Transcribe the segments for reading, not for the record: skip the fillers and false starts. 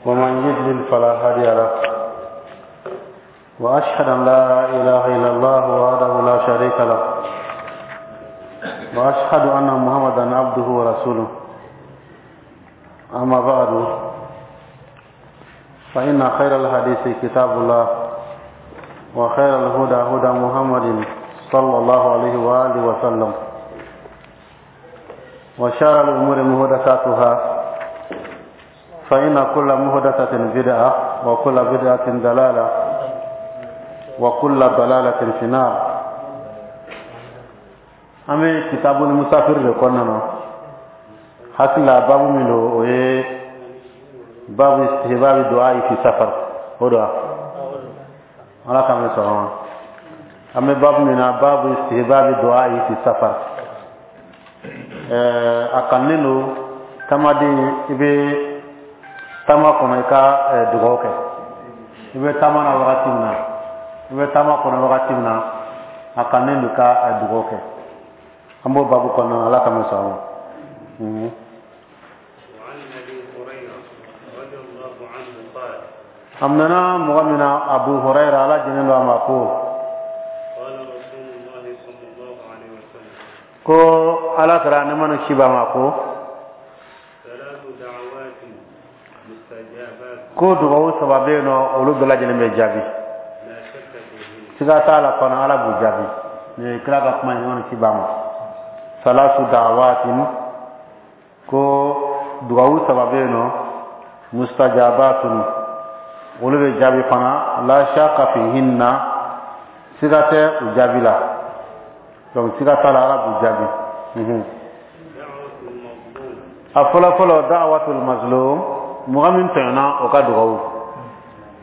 ومن يضلل فلا هادي له. وأشهد أن لا إله إلا الله وحده لا شريك له، وأشهد أن محمدا عبده ورسوله. أما بعد، فإن خير الحديث كتاب الله، وخير الهدى هدى محمد صلى الله عليه وآله وسلم، وشر الأمور محدثاتها، فإن كل محدثة بدعة، وكل بدعة ضلالة، وكل ضلالة في النار. An bɛ kitabu musafir de kɔnɔna na. Hakili la, babu min don, o ye babu istihbabi du'a fi safar. O don, Ala k'an bɛ sɔn ma. An bɛ babu min na, babu istihbabi du'a fi safar, a kanunen don taamaden, i bɛ taama kɔnɔ, i ka dugawu kɛ. I bɛ taama na wagati min na, i bɛ taama kɔnɔ wagati min na, a kanunen don i ka dugawu kɛ. An b'o babu kɔnɔ. Ala k'an bɛ sɔn ma. وعن ابي هريره رضي الله عنه قال: A minɛna mɔgɔ min na, Abu Hurayra, Ala jɛnnen don a ma, ko: قال رسول الله صلى الله عليه وسلم: Ko Ala kɛra nɛɛma ni kisi b'a ma, ko: ثلاث دعوات مستجابات. Ko dugawu saba bɛ yen nɔ, olu bɛɛ lajɛlen bɛ jaabi. لا شك فيهن. Siga t'a la fana, Ala b'u jaabi. Nin ye kira ka kuma ye, nɛɛma ni kisi b'a ma. Salasu da'awatin, ko dugawu saba bɛ yen nɔ, mustajabatun, olu bɛ jaabi fana, la shakka fihinna, siga tɛ u jaabi la. Donc siga t'a la, Ala b'u jaabi. دعوة المظلوم. A fɔlɔ fɔlɔ, da'watul mazlum, mɔgɔ min tɔɲɔna, o ka dugawu.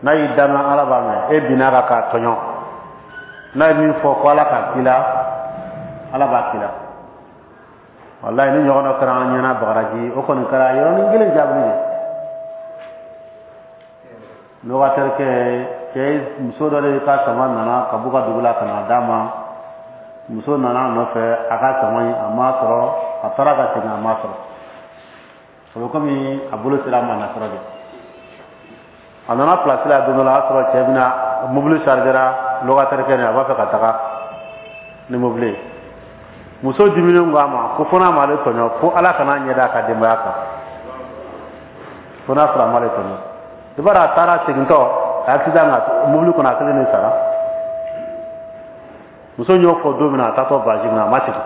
N'a y'i danga, Ala b'a mɛn. E binna kan k'a tɔɲɔ, n'a ye min fɔ ko Ala k'a k'i la, Ala b'a k'i la. Walayi, ni ɲɔgɔn dɔ kɛra an ɲɛna Bagadaji, o kɔni kɛra yɔrɔnin kelen jaabili de. Locataire kɛ, cɛ muso dɔ de ka sama nana ka b'u ka dugu la ka na d'a ma. Muso nana a nɔfɛ, a ka sama in, a m'a sɔrɔ. A taara ka segin, a m'a sɔrɔ. O bɛ komi a bolo sera a ma nasɔrɔ de. A nana place la don dɔ la, a y'a sɔrɔ cɛ bɛna mobili chargera. Locataire kɛ nin, a b'a fɛ ka taga ni mobili ye. Muso diminen ko a ma ko fo n'a m'ale tɔɲɔ, ko Ala kana ɲɛ da a ka denbaya kan, fo n'a sɔrɔ a m'ale tɔɲɔ. I b'a dɔn, a taara segintɔ, a accident ka mobili kɔnɔ, a kelen de sara. Muso y'o fɔ don min na, a taatɔ voyage min na, a ma segin,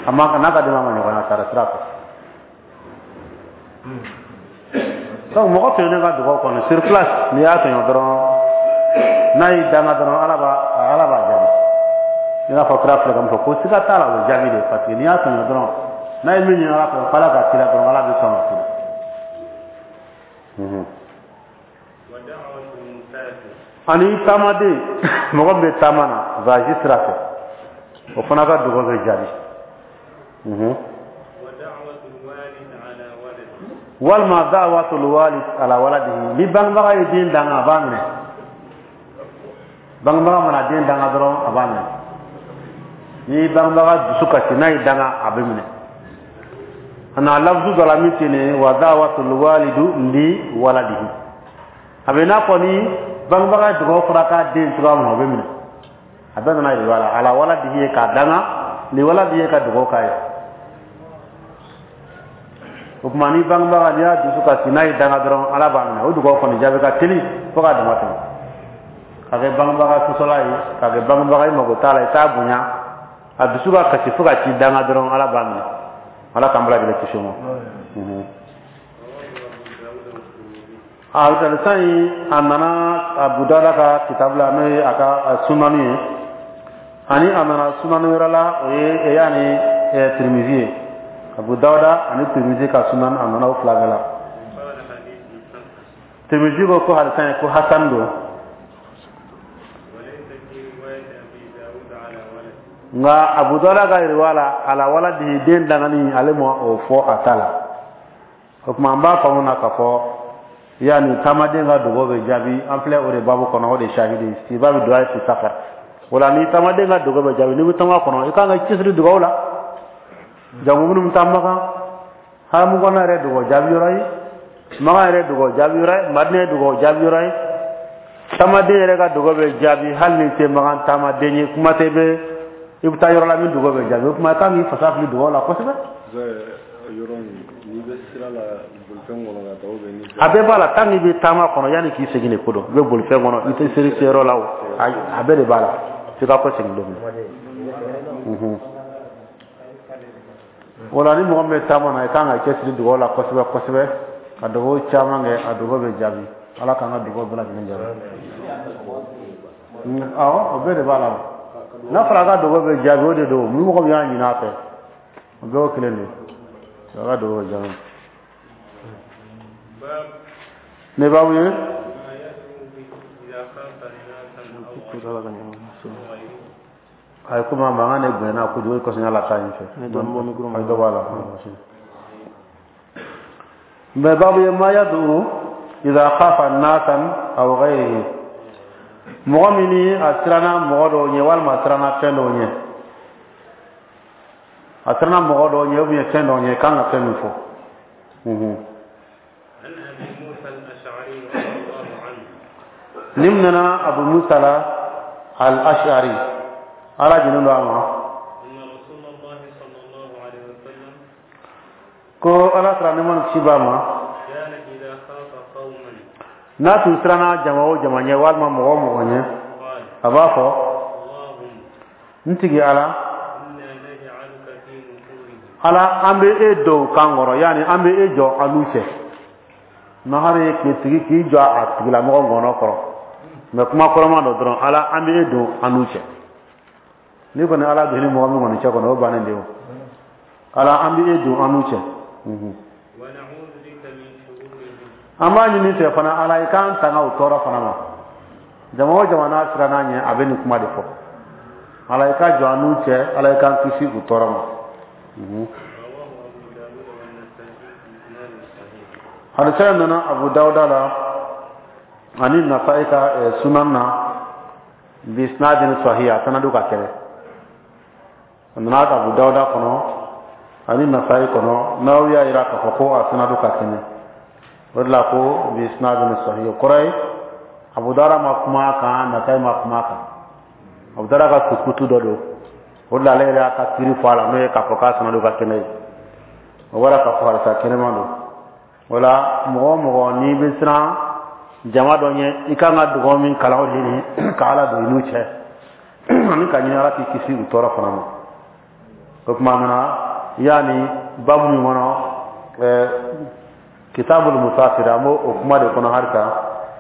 a ma n'a ka denbaya ma ɲɔgɔn ye, a sara sira fɛ. Donc mɔgɔ tɔɲɔnen ka dugawu kɔnɔ, sur place, n'i y'a tɔɲɔ dɔrɔn, n'a y'i danga dɔrɔn, Ala b'a jaabi. I n'a fɔ kira filɛ ka min fɔ ko siga t'a la, o bɛ jaabi de, parce que n'i y'a tɔɲɔ dɔrɔn, n'a ye min ɲini Ala fɛ ko Ala k'a k'i la dɔrɔn, Ala bɛ sɔn ka k'i la. ودعوة المسافر. Ani taamaden, mɔgɔ min bɛ taama na voyage sira fɛ, o fana ka dugawu bɛ jaabi. ودعوة الوالد على ولده. Walima da'watul walid ala waladihi, ni bangebaga ye den danga, a b'a minɛ. Bangebaga mana den danga dɔrɔn, a b'a minɛ. Ni bangebaga dusu kasi, n'a ye danga, a bɛ minɛ. A na lafzu dɔ la min tɛ nin ye, wa da'watul walidu li waladihi, a bɛ i n'a fɔ ni bangebaga ye dugawu fɔra k'a den cogoya min na, o bɛ minɛ. A bɛɛ nana yiriwa la, ala waladihi ye k'a danga, li waladihi ye ka dugawu k'a ye. O tuma, ni bangebaga, n'i y'a dusu kasi, n'a ye danga dɔrɔn, Ala b'a minɛ. O dugawu kɔni jaabi ka teli fo k'a dama tɛmɛ. Ka kɛ bangebaga sɔsɔla ye, ka kɛ bangebaga i mago t'a la, i t'a bonya, a dusu ka kasi fo ka ci danga dɔrɔn, Ala b'a minɛ. Ala k'an bɛɛ lajɛlen kisi o ma. رواه أبو داود والترمذي. A hadisa in, a nana Abu Dawuda ka kitabu la, n'o ye a ka sunani ye, ani a nana sunani wɛrɛ la, o ye yaani Tirimizi ye. Abu Dawuda ani Tirimizi ka sunan, a nana o fila bɛɛ la. قال حديث حسن. Tirimizi ko hadisa in ko hasan don. وليس في رواية أبي داود على ولده. Nka Abu Dawuda ka riwaya la, ala waladi, den dangani, ale ma o fɔ a ta la. O tuma, an b'a faamu na k'a fɔ yanni taamaden ka dugawu bɛ jaabi. An filɛ o de baabu kɔnɔ, o de shahidi istibabi du'a fi safar. O la, ni taamaden ka dugawu bɛ jaabi, n'i bɛ taama kɔnɔ, i kan ka cɛsiri dugawu la. Jango minnu bɛ taa Makan, haramu kɔnɔ yɛrɛ, dugawu jaabi yɔrɔ ye. Makan yɛrɛ dugawu jaabi yɔrɔ ye, Madina ye dugawu jaabi yɔrɔ ye. Taamaden yɛrɛ ka dugawu bɛ jaabi hali n'i tɛ Makan taamaden ye. Kuma tɛ bɛ i bɛ taa yɔrɔ la min dugawu bɛ jaabi. O tuma i kan k'i fasa fili dugawu la kosɛbɛ. Yɔrɔ n'i bɛ sira la, bolifɛn kɔnɔ ka taa, ou bien ni A bɛɛ b'a la. Tant que i bɛ taama kɔnɔ, yanni k'i segin de ko dɔn, i bɛ bolifɛn kɔnɔ, i tɛ seri se yɔrɔ la, o a bɛɛ de b'a la, f'i ka kɔ segin don min. O la, ni mɔgɔ min bɛ taama na, i kan ka cɛsiri dugawu la kosɛbɛ kosɛbɛ, ka dugawu caman kɛ, a dugawu bɛ jaabi. Ala k'an ka dugawu bɛɛ lajɛlen jaabi. Awɔ, o bɛɛ de b'a la. O n'a fɔra a ka dugawu bɛ jaabi, o de don. Ni mɔgɔ min y'a ɲini a fɛ, o bɛɛ y'o kelen de ye, a ka dugawu bɛ jaabi. باب Ne b'aw ye. ما يدعو به إذا خاف ناسا أو غيره. A ye komi a mankan de bonyana kojugu, o kosɔn y'a la taa yen fɛ. Ne dɔɔnin bɔ micro ma. A ye dɔ bɔ a la. Mais babu ye ما يدعو إذا خاف ناسا أو غيره, mɔgɔ min ni a siranna mɔgɔ dɔw ɲɛ walima a siranna fɛn dɔw ɲɛ, a siranna mɔgɔ dɔw ɲɛ ou bien fɛn dɔw ɲɛ, kan ka fɛn min fɔ. عن أبي موسى الأشعري رضي الله عنه. Nin nana Abu Musa la al-Ash'ari, Ala jɛnnen don a ma. أن رسول الله صلى الله عليه وسلم Ko Ala sara nɛɛma ni kisi b'a ma. كان إذا خاف قوما N'a tun siranna jama o jama ɲɛ walima mɔgɔ o mɔgɔ ɲɛ, قال: a b'a fɔ: اللهم N tigi Ala, إنا نجعلك في نحورهم. Ala, an bɛ e don u kan kɔrɔ, yanni an bɛ e jɔ an n'u cɛ. Nahari ye k'i tigi k'i jɔ a tigilamɔgɔ ngɔnɔ kɔrɔ, mɛ kuma kɔrɔma dɔ dɔrɔn. Ala, an bɛ e don an n'u cɛ. N'i kɔni Ala don ni mɔgɔ min kɔni cɛ kɔnɔ, o bannen de o. Ala, an bɛ e don an n'u cɛ. ونعوذ بك من شرورهم. An b'a ɲini fɛ fana, Ala, i k'an tanga o tɔɔrɔ fana ma. Jama o jama n'a siranna ɲɛ, a bɛ nin kuma de fɔ: Ala, i ka jɔ an n'u cɛ, Ala, i k'an kisi u tɔɔrɔ ma. رواه أبو داود والنسائي بإسناد صحيح. Hadisa nana Abu Dawuda la ani Nasa'i ka sunan na, بإسناد صحيح, a sanadu ka kɛnɛ. A nana Abu Dawuda kɔnɔ ani Nasa'i kɔnɔ, n'aw y'a yira k'a fɔ ko a sanadu ka kɛnɛ, o de la ko بإسناد صحيح. O kɔrɔ ye Abu Dawuda ma kuma a kan, Nasa'i ma kuma a kan. Abu Dawuda ka sukutu dɔ don, o de la ale yɛrɛ y'a ka kiiri fɔ a la, n'o ye k'a fɔ k'a sanadu ka kɛnɛ ye. O bɔra k'a fɔ hadisa kɛnɛma don. O la, mɔgɔ o mɔgɔ n'i bɛ siran jama dɔ ɲɛ, i kan ka dugawu min kalan, o de ye ka Ala don i n'u cɛ ani ka ɲini Ala k'i kisi u tɔɔrɔ fana ma. O tuma nana yanni babu min kɔnɔ, كتاب المسافر, an b'o o kuma de kɔnɔ halisa.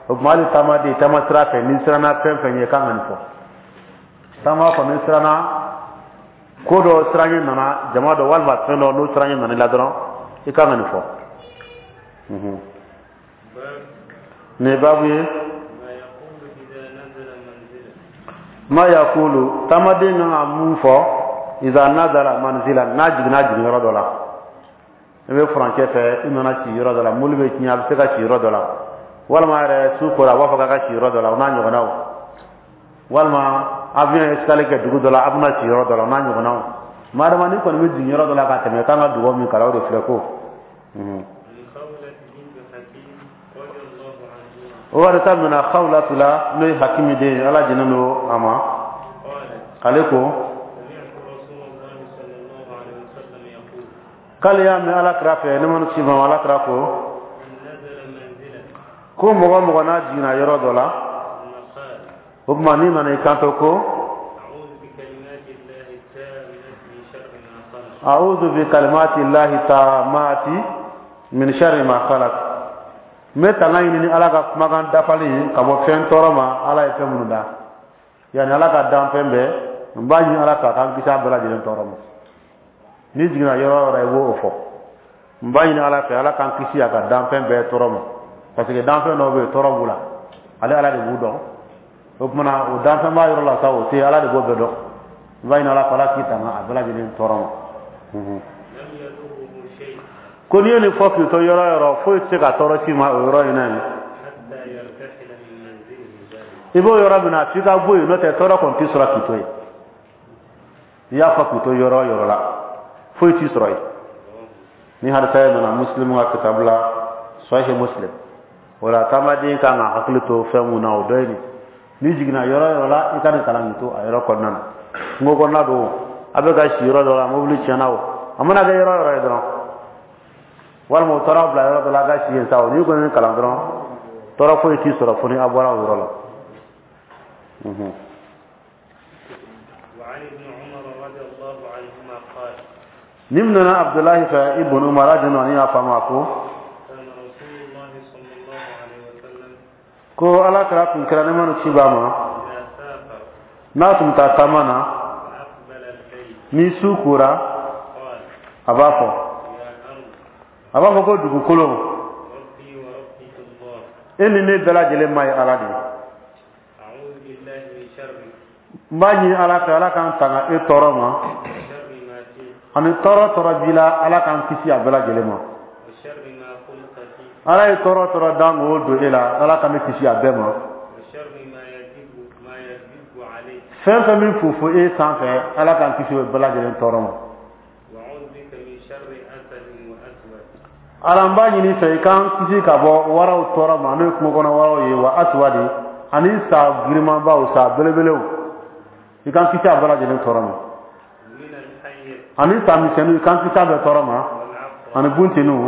O tuma, hali taamaden, taama sira fɛ, n'i siranna fɛn fɛn ɲɛ, i kan ka nin fɔ. Taama kɔni, n'i siranna ko dɔ, siran ɲɛ nana jama dɔ walima fɛn dɔ, n'o siran ɲɛ nana i la dɔrɔn, i kan ka nin fɔ. باب Nin ye babu ye. ما يقول إذا نزل منزلا. ما يقول, taamaden kan ka mun fɔ, إذا نزل منزلا, n'a jiginna jigin yɔrɔ dɔ la. I bɛ furancɛ fɛ, i nana ci yɔrɔ dɔ la, mobili bɛ tiɲɛ, a bɛ se ka ci yɔrɔ dɔ la, walima yɛrɛ su kora, a b'a fɔ k'a ka ci yɔrɔ dɔ la, o n'a ɲɔgɔnnaw, walima avion ye escale kɛ dugu dɔ la, a bɛna ci yɔrɔ dɔ la, o n'a ɲɔgɔnnaw. Madama ni kɔni bɛ jigin yɔrɔ dɔ la ka tɛmɛ, kan ka dugawu min kalan, o de filɛ ko. عن خولة بنت حكيم رضي الله عنهما. O hadisa minɛ Khawlatu la, n'o ye Hakimi den ye, Ala jɛnnen don a ma. قالت: Ale ko: سمعت رسول الله صلى الله عليه وسلم يقول: K'ale y'a mɛn Ala kira fɛ, ne ma si ma, Ala kira ko: من نزل منزلا Ko mɔgɔ o mɔgɔ n'a jiginna yɔrɔ dɔ la, ثم قال: o tuma n'i nana i kanto ko: أعوذ بكلمات الله التامة من شر ما خلق. أعوذ بكلمات الله التامات من شر ما خلق, n bɛ tanga ɲini ni Ala ka kumakan dafalen ye ka bɔ fɛn tɔɔrɔ ma, Ala ye fɛn minnu da, yanni Ala ka dan fɛn bɛɛ, n b'a ɲini Ala fɛ a k'an kisi a bɛɛ lajɛlen tɔɔrɔ ma. N'i jiginna yɔrɔ o yɔrɔ, i b'o fɔ: n b'a ɲini Ala fɛ, Ala k'an kisi a ka danfɛn bɛɛ tɔɔrɔ ma, parce que danfɛn dɔw bɛ yen, tɔɔrɔ b'u la, ale Ala de b'u dɔn. O tuma na, o danfɛn b'a yɔrɔ la sa, o tɛ, Ala de b'o bɛɛ dɔn. N b'a ɲini Ala fɛ, Ala k'i tanga a bɛɛ lajɛlen tɔɔrɔ ma. لم يضره شيء. Ko n'i ye nin fɔ k'i to yɔrɔ o yɔrɔ, foyi tɛ se ka tɔɔrɔ s'i ma o yɔrɔ in na yen. حتى يرتحل من منزله ذلك. I b'o yɔrɔ min na, f'i ka bɔ yen, n'o tɛ tɔɔrɔ kɔni t'i sɔrɔ k'i to yen. I y'a fɔ k'i to yɔrɔ o yɔrɔ la, foyi t'i sɔrɔ yen. Ni hadisa ye nana Muslim ka kitabu la. Sahih Muslim. O la taamaden kan ka hakili to fɛn mun na, o dɔ ye nin. N'i jiginna yɔrɔ yɔrɔ la, i ka nin kalan k'i to a yɔrɔ kɔnɔna na. Kungo kɔnɔna don, a bɛ ka si yɔrɔ dɔ la, mobili tiɲɛna o, a mana kɛ yɔrɔ yɔrɔ ye dɔrɔn, walima u taara aw bila yɔrɔ dɔ la, a ka si yen sa o, n'i kɔni kalan dɔrɔn, tɔɔrɔ foyi t'i sɔrɔ fo ni a bɔra o yɔrɔ la. وعن ابن عمر رضي الله عنهما قال Nin minɛna Abudulayi fɛ, Ibn Umar radiyallahu anhu y'a fɔ a ma ko كان رسول الله صلى الله عليه وسلم ko Ala kira tun kɛra, nɛɛma ni kisi b'a ma, إذا سافر n'a tun bɛ taa taama na, وأقبل الليل ni su kora, قال a b'a fɔ يا أرض a b'a fɔ ko dugukolo, ربي وربك الله e ni ne bɛɛ lajɛlen ma ye Ala de ye. أعوذ بالله من شرك N b'a ɲini Ala fɛ, Ala k'an tanga e tɔɔrɔ ma, وشر ما فيك ani tɔɔrɔ tɔɔrɔ b'i la, Ala k'an kisi a bɛɛ lajɛlen ma. وشر ما خلق فيك Ala ye tɔɔrɔ tɔɔrɔ dan k'o don e la, Ala ka ne kisi a bɛɛ ma. وشر ما يدب عليك Fɛn fɛn min fofo e sanfɛ, Ala k'an kisi o bɛɛ lajɛlen tɔɔrɔ ma. وأعوذ بك من شر أسد وأسود Ala, n b'a ɲini fɛ, i k'an kisi ka bɔ waraw tɔɔrɔ ma, n'o ye kungo kɔnɔ waraw ye, wa aswadi, ani sa girimanbaw, sa belebelew, i k'an kisi a bɛɛ lajɛlen tɔɔrɔ ma. ومن الحية Ani sa misɛnninw, i k'an kisi a bɛɛ tɔɔrɔ ma, والعقرب ani bunteniw,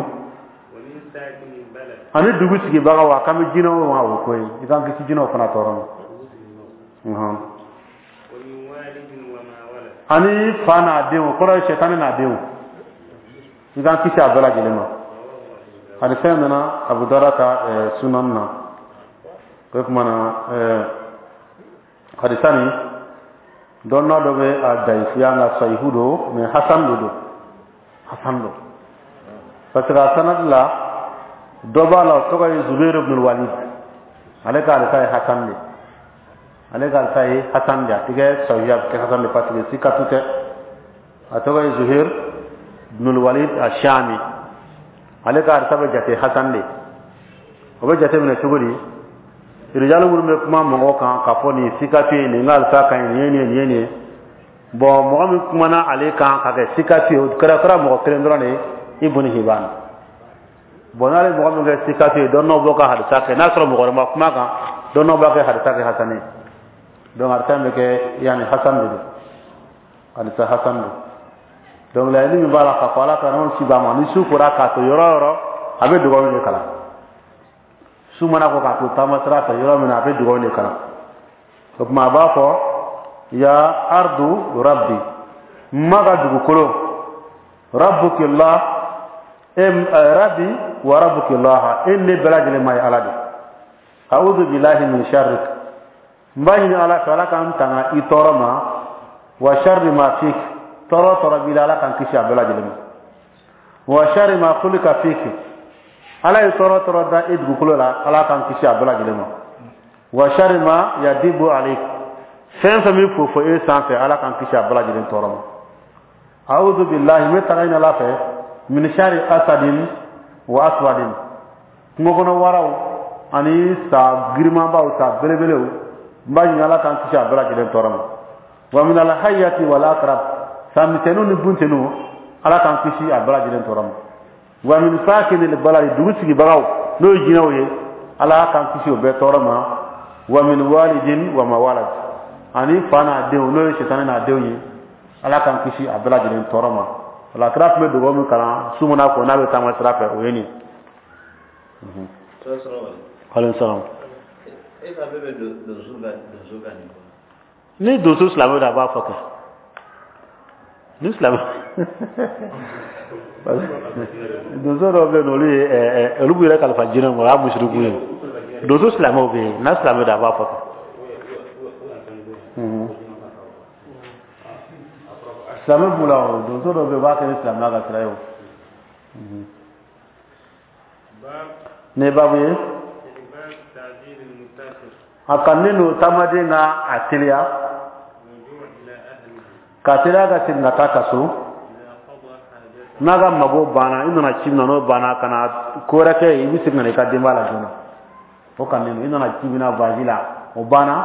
ومن ساكن البلد ani dugu sigibagaw, a kan bɛ jinɛw ma, o ko ye, i k'an kisi jinɛw fana tɔɔrɔ ma. ومن والد وما ولد Ani fa n'a denw, o kɔrɔ ye sɛtanɛ n'a denw, i k'an kisi a bɛɛ lajɛlen ma. رواه أبو داود. Hadisa in nana Abu Dawuda ka sunan na. O tuma na, hadisa nin, dɔnna dɔ bɛ a dayifuya, nka sahihu don, mais hasan de don, hasan don, parce que a sanad la, dɔ b'a la, o tɔgɔ ye Zubair ibn Walid. Ale ka hadisa ye hasan de, ale ka hadisa ye hasan de, a tɛ kɛ sahihu, a bɛ kɛ hasan de, parce que sikatu tɛ. A tɔgɔ ye Zuhair ibn Walid Ashami. Ale ka hadisa bɛ jate hasan de. O bɛ jate minɛ cogo di? Rijalu minnu bɛ kuma mɔgɔw kan k'a fɔ nin sikatu ye, nin ka hadisa ka ɲi, nin ye nin ye, nin ye nin ye. Bon, mɔgɔ min kumana ale kan ka kɛ sikatu ye, o kɛra mɔgɔ kelen dɔrɔn de ye, Ibn Hibban. Bon, n'ale mɔgɔ min kɛ sikatu ye, dɔnnaw b'o ka hadisa kɛ, n'a sɔrɔ mɔgɔ wɛrɛ ma kuma kan, dɔnnaw b'a kɛ hadisa kɛ hasan ye. Donc hadisa in bɛ kɛ yanni hasan de don, hadisa hasan don. Donc laɲini min b'a la, k'a fɔ Ala ka nɛɛma si b'a ma, ni su kora k'a to yɔrɔ o yɔrɔ, a bɛ dugawu de kalan. Su mana ko k'a to taama sira fɛ yɔrɔ min na, a bɛ dugawu de kalan. O tuma a b'a fɔ: ya ardu rabbi, n ma ka dugukolo, rabbuki Allah, e rabbi wa rabbuki Allah, e ne bɛɛ lajɛlen ma ye Ala de. A'udhu billahi min sharrik, n b'a ɲini Ala fɛ, Ala k'an tanga i tɔɔrɔ ma, wa sharri ma fik, tɔɔrɔ tɔɔrɔ b'i la, Ala k'an kisi a bɛɛ lajɛlen ma, wa sharri ma khulika fik, Ala ye tɔɔrɔ tɔɔrɔ da i dugukolo la, Ala k'an kisi a bɛɛ lajɛlen ma, wa sharri ma yadibu alik, fɛn fɛn min fofo e sanfɛ, Ala k'an kisi a bɛɛ lajɛlen tɔɔrɔ ma. A'udhu billahi, n bɛ tanga ɲini Ala fɛ, min sharri asadin wa aswadin, kungo kɔnɔ waraw ani sa girimanbaw, sa belebelew, n b'a ɲini Ala k'an kisi a bɛɛ lajɛlen tɔɔrɔ ma, wa min alhayyati wal akrab, sa misɛnninw ni bunteniw, Ala k'an kisi a bɛɛ lajɛlen tɔɔrɔ ma, wa min sakinil baladi, dugu sigibagaw, n'o ye jinɛw ye, Ala k'an kisi o bɛɛ tɔɔrɔ ma, wa min walidin wa ma walad, ani fa n'a denw, n'o ye sɛtanɛ n'a denw ye, Ala k'an kisi a bɛɛ lajɛlen tɔɔrɔ ma. O la kira tun bɛ dugawu min kalan su mana ko n'a bɛ taama sira fɛ, o ye nin ye. Aleykum salaam. E ka bɛɛ bɛ donso ka nin kɔ. Ni donso silamɛ don, a b'a fɔ kɛ ni silamɛ, donso dɔw bɛ yen nɔ, olu ye olu b'u yɛrɛ kalifa jinɛw ma, o y'a musiriku ye. Donso silamɛw bɛ yen, n'a silamɛ don, a b'a fɔ kɛ. Silamɛ b'u la o, donso dɔw bɛ yen, u b'a kɛ ni silamɛya ka sira ye o. باب Nin ye baabu ye. استحباب تعجيل المسافر A kanunen don taamaden ka a teliya الرجوع إلى أهله ka teliya ka segin ka taa ka so إذا قضى حاجته n'a ka mago banna. I nana ci min na, n'o banna, ka na ko wɛrɛ kɛ yen, i bɛ segin ka na i ka denbaya la joona, o kanunen don. I nana ci min na voyage la, o banna,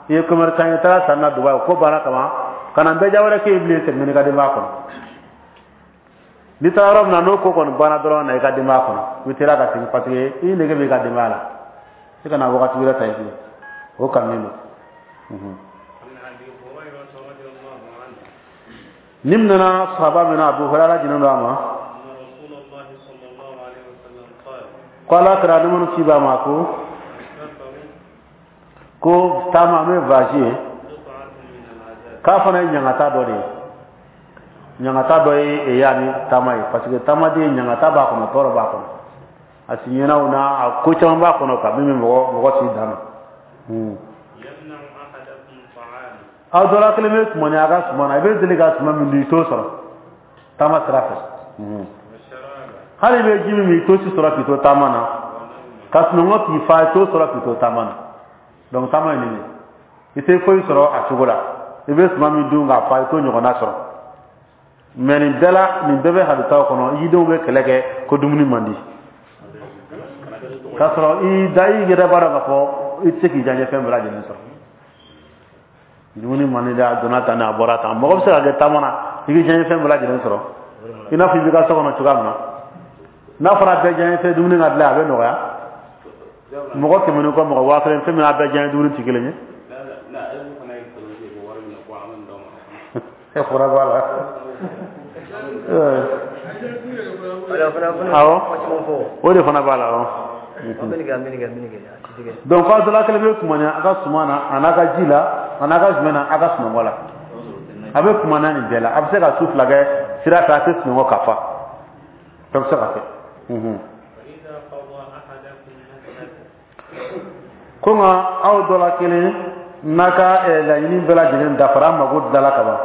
i ye commerçant ye, i taara sanni na Dubaï, o ko banna kaban, ka na bɛɛ ja wɛrɛ kɛ yen bilen, segin n'i ka denbaya kɔnɔ. N'i taara yɔrɔ min na, n'o ko kɔni banna dɔrɔn, na i ka denbaya kɔnɔ, i bɛ teliya ka segin, parce que i nege b'i ka denbaya la. I kana wagati wɛrɛ ta i kun, o kanunen don. Ni nana sahaba min na, Abu Hurairah jinen don a ma ko Ala kira ni minnu ci b'a ma ko taama, n'o ye voyage ye, k'a fana ye ɲangata dɔ de ye. Ɲangata dɔ ye yaani taama ye, parce que taamaden, ɲangata b'a kɔnɔ, tɔɔrɔ b'a kɔnɔ, a siɲɛnaw na, a ko caman b'a kɔnɔ ka min bɛ mɔgɔ s'i dan na. Aw dɔ la kelen bɛ kumani a ka suman na, i bɛ deli ka suman min dun, i t'o sɔrɔ taama sira fɛ. Hali i bɛ ji min min, i t'o si sɔrɔ k'i to taama na. Ka sunɔgɔ k'i fa, i t'o sɔrɔ k'i to taama na. Donc taama ye nin ye, i tɛ foyi sɔrɔ a cogo la. I bɛ suman min dun k'a fa, i t'o ɲɔgɔnna sɔrɔ. Mais nin bɛɛ la, nin bɛɛ bɛ haditaw kɔnɔ, i denw bɛ kɛlɛ kɛ ko dumuni man di, k'a sɔrɔ i da i yɛrɛ b'a dɔn k'a fɔ i tɛ se k'i diyaɲɛ fɛn bɛɛ lajɛlen sɔrɔ. Dumuni man di dɛ, a donna tan, a bɔra tan. Mɔgɔ bɛ se ka kɛ taama na, i k'i diyaɲɛ fɛn bɛɛ lajɛlen sɔrɔ, i n'a fɔ i b'i ka so kɔnɔ cogoya min na. N'a fɔra bɛɛ diyaɲɛ fɛn dumuni ka dilan, a bɛ nɔgɔya. Mɔgɔ 100 ni kɔ, mɔgɔ 1000, fɛn min n'a bɛɛ diyaɲɛ dumuni tɛ kelen ye. E fɔra b'a la. Awɔ, o de fana b'a la. Awɔ. Donc aw dɔ la kelen bɛ kumaniya a ka suman na, a n'a ka ji la, a n'a ka jumɛn na, a ka sunɔgɔ la. A bɛ kumaniya nin bɛɛ la. A bɛ se ka su 2 kɛ sira fɛ, a tɛ sunɔgɔ ka fa. Fɛn bɛ se ka kɛ. Ko nka aw dɔ la kelen n'a ka laɲini bɛɛ lajɛlen dafara, a mago dilala ka ban.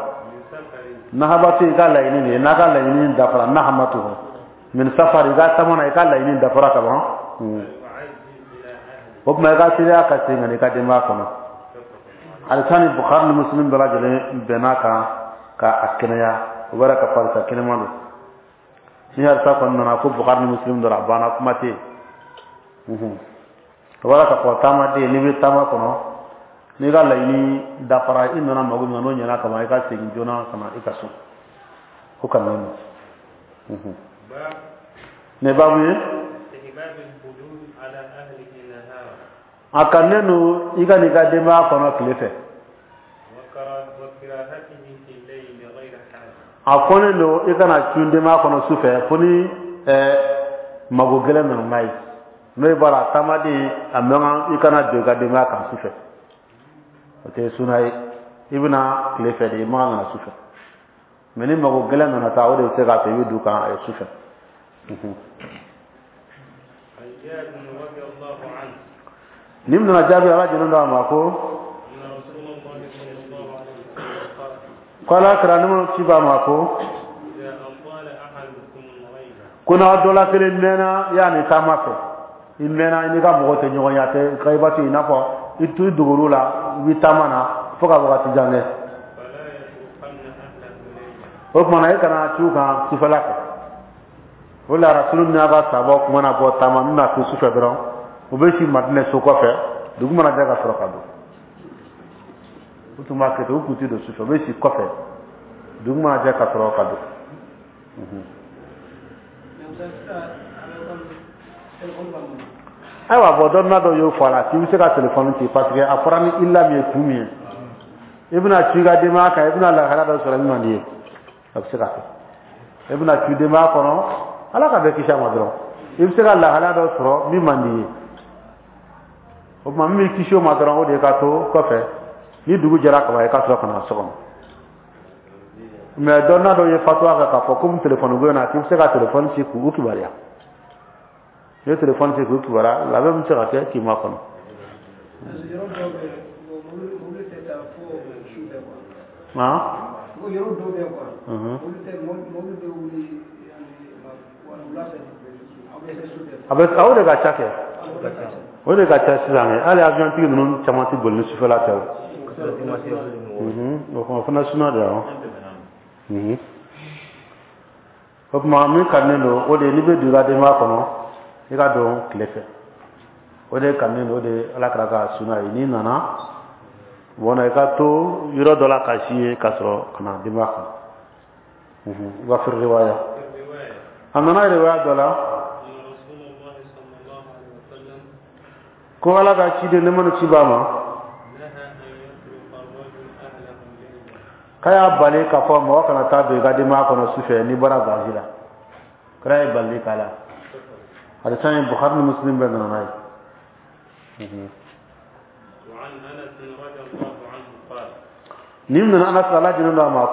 Nahabatu, i ka laɲini de ye, n'a ka laɲini dafara, nahamatu min safari, i ka taama na, i ka laɲini dafara ka ban. O tuma i ka teliya ka segin ka na i ka denbaya kɔnɔ. Hadisa ni Bukhari ni Muslim bɛɛ lajɛlen bɛn'a kan ka a kɛnɛya. O b'a yira k'a fɔ hadisa kɛnɛman don. Ni hadisa kɔni nana ko Bukhari ni Muslim dɔrɔn, a banna, kuma tɛ yen. O b'a yira k'a fɔ taamaden, n'i bɛ taama kɔnɔ, n'i ka laɲini dafara, i nana mago min na, n'o ɲɛna ka ban, i ka segin joona ka na i ka so. O ka nɔgɔn. Nin baabu ye, a kanunen don i ka n'i ka denbaya kɔnɔ tile fɛ. A kɔnnen don i kana cun denbaya kɔnɔ su fɛ, fo ni mago gɛlɛn nana n'a ye. N'o ye b'a la, taamaden, a man kan i kana don i ka denbaya kan su fɛ. O tɛ suna ye. I bɛna tile fɛ de, i man kan ka na su fɛ. Mais ni mago gɛlɛn nana taa, o de bɛ se k'a to i bɛ don kan su fɛ. Ni nana jaabi, Ala jɛnnen don a ma ko Ala kira ni ci b'a ma ko n'aw dɔ la kelen mɛnna yanni taama fɛ, i mɛnna, i n'i ka mɔgɔ tɛ ɲɔgɔn ye, a tɛ kayibatu, i n'a fɔ i to i dogor'u la, i bɛ taama na fo ka wagati jan kɛ. O tuma na, e kana c'u kan sufɛla fɛ. O la, Rasulu n'a ka sahabaw tun mana bɔ taama, n'u na to sufɛ dɔrɔn, u bɛ si Madinɛ so kɔfɛ, dugu mana jɛ ka sɔrɔ ka don. U tun b'a kɛ ten, u tun tɛ don sufɛ, u bɛ si kɔfɛ, dugu mana jɛ ka sɔrɔ ka don. Ayiwa, bɔn, dɔnna dɔ y'o fɔ a la k'i bɛ se ka telefɔni ci, parce que a fɔra ni illa min ye, kun min ye, i bɛna ci i ka denbaya kan, i bɛna lahala dɔ sɔrɔ min man di ye, a bɛ se ka kɛ. I bɛna ci denbaya kɔnɔ, Ala ka bɛɛ kisi a ma dɔrɔn, i bɛ se ka lahala dɔ sɔrɔ min man di ye. O tuma, min b'i kisi o ma dɔrɔn, o de ye ka to kɔfɛ, ni dugu jɛra ka ban, i ka sɔrɔ ka na so kɔnɔ. Mais dɔnna dɔ ye fatuwa kɛ k'a fɔ komi telefɔni ko in na, k'i bɛ se ka telefɔni ci k'u kibaruya. N'i ye telefɔni ci k'u kibaruya, labɛn bɛ se ka kɛ k'i makɔnɔ. A bɛ o de ka ca kɛ, o de ka ca sisan kɛ. Hali avion tigi ninnu caman tɛ boli ni sufɛla tɛ. O o fana suna de ye. O tuma, min kanunen don, o de ye n'i bɛ don i ka denbaya kɔnɔ, i ka don tile fɛ. O de kanunen don, o de ye Ala kira ka suna ye. N'i nana bɔn, i ka to yɔrɔ dɔ la ka si ye ka sɔrɔ ka na denbaya kɔnɔ. Wa fi riwaya. A nana riwaya dɔ la ko Ala ka ciden, nɛɛma ni kisi b'a ma, k'a y'a bali k'a fɔ mɔgɔ kana taa don i ka denbaya kɔnɔ su fɛ n'i bɔra voyage la. Kira ye balili k'a la. Hadisa in, Bukhari ni Muslim bɛɛ nana n'a ye. Nin nana Anas, Ala jɛnnen don a ma,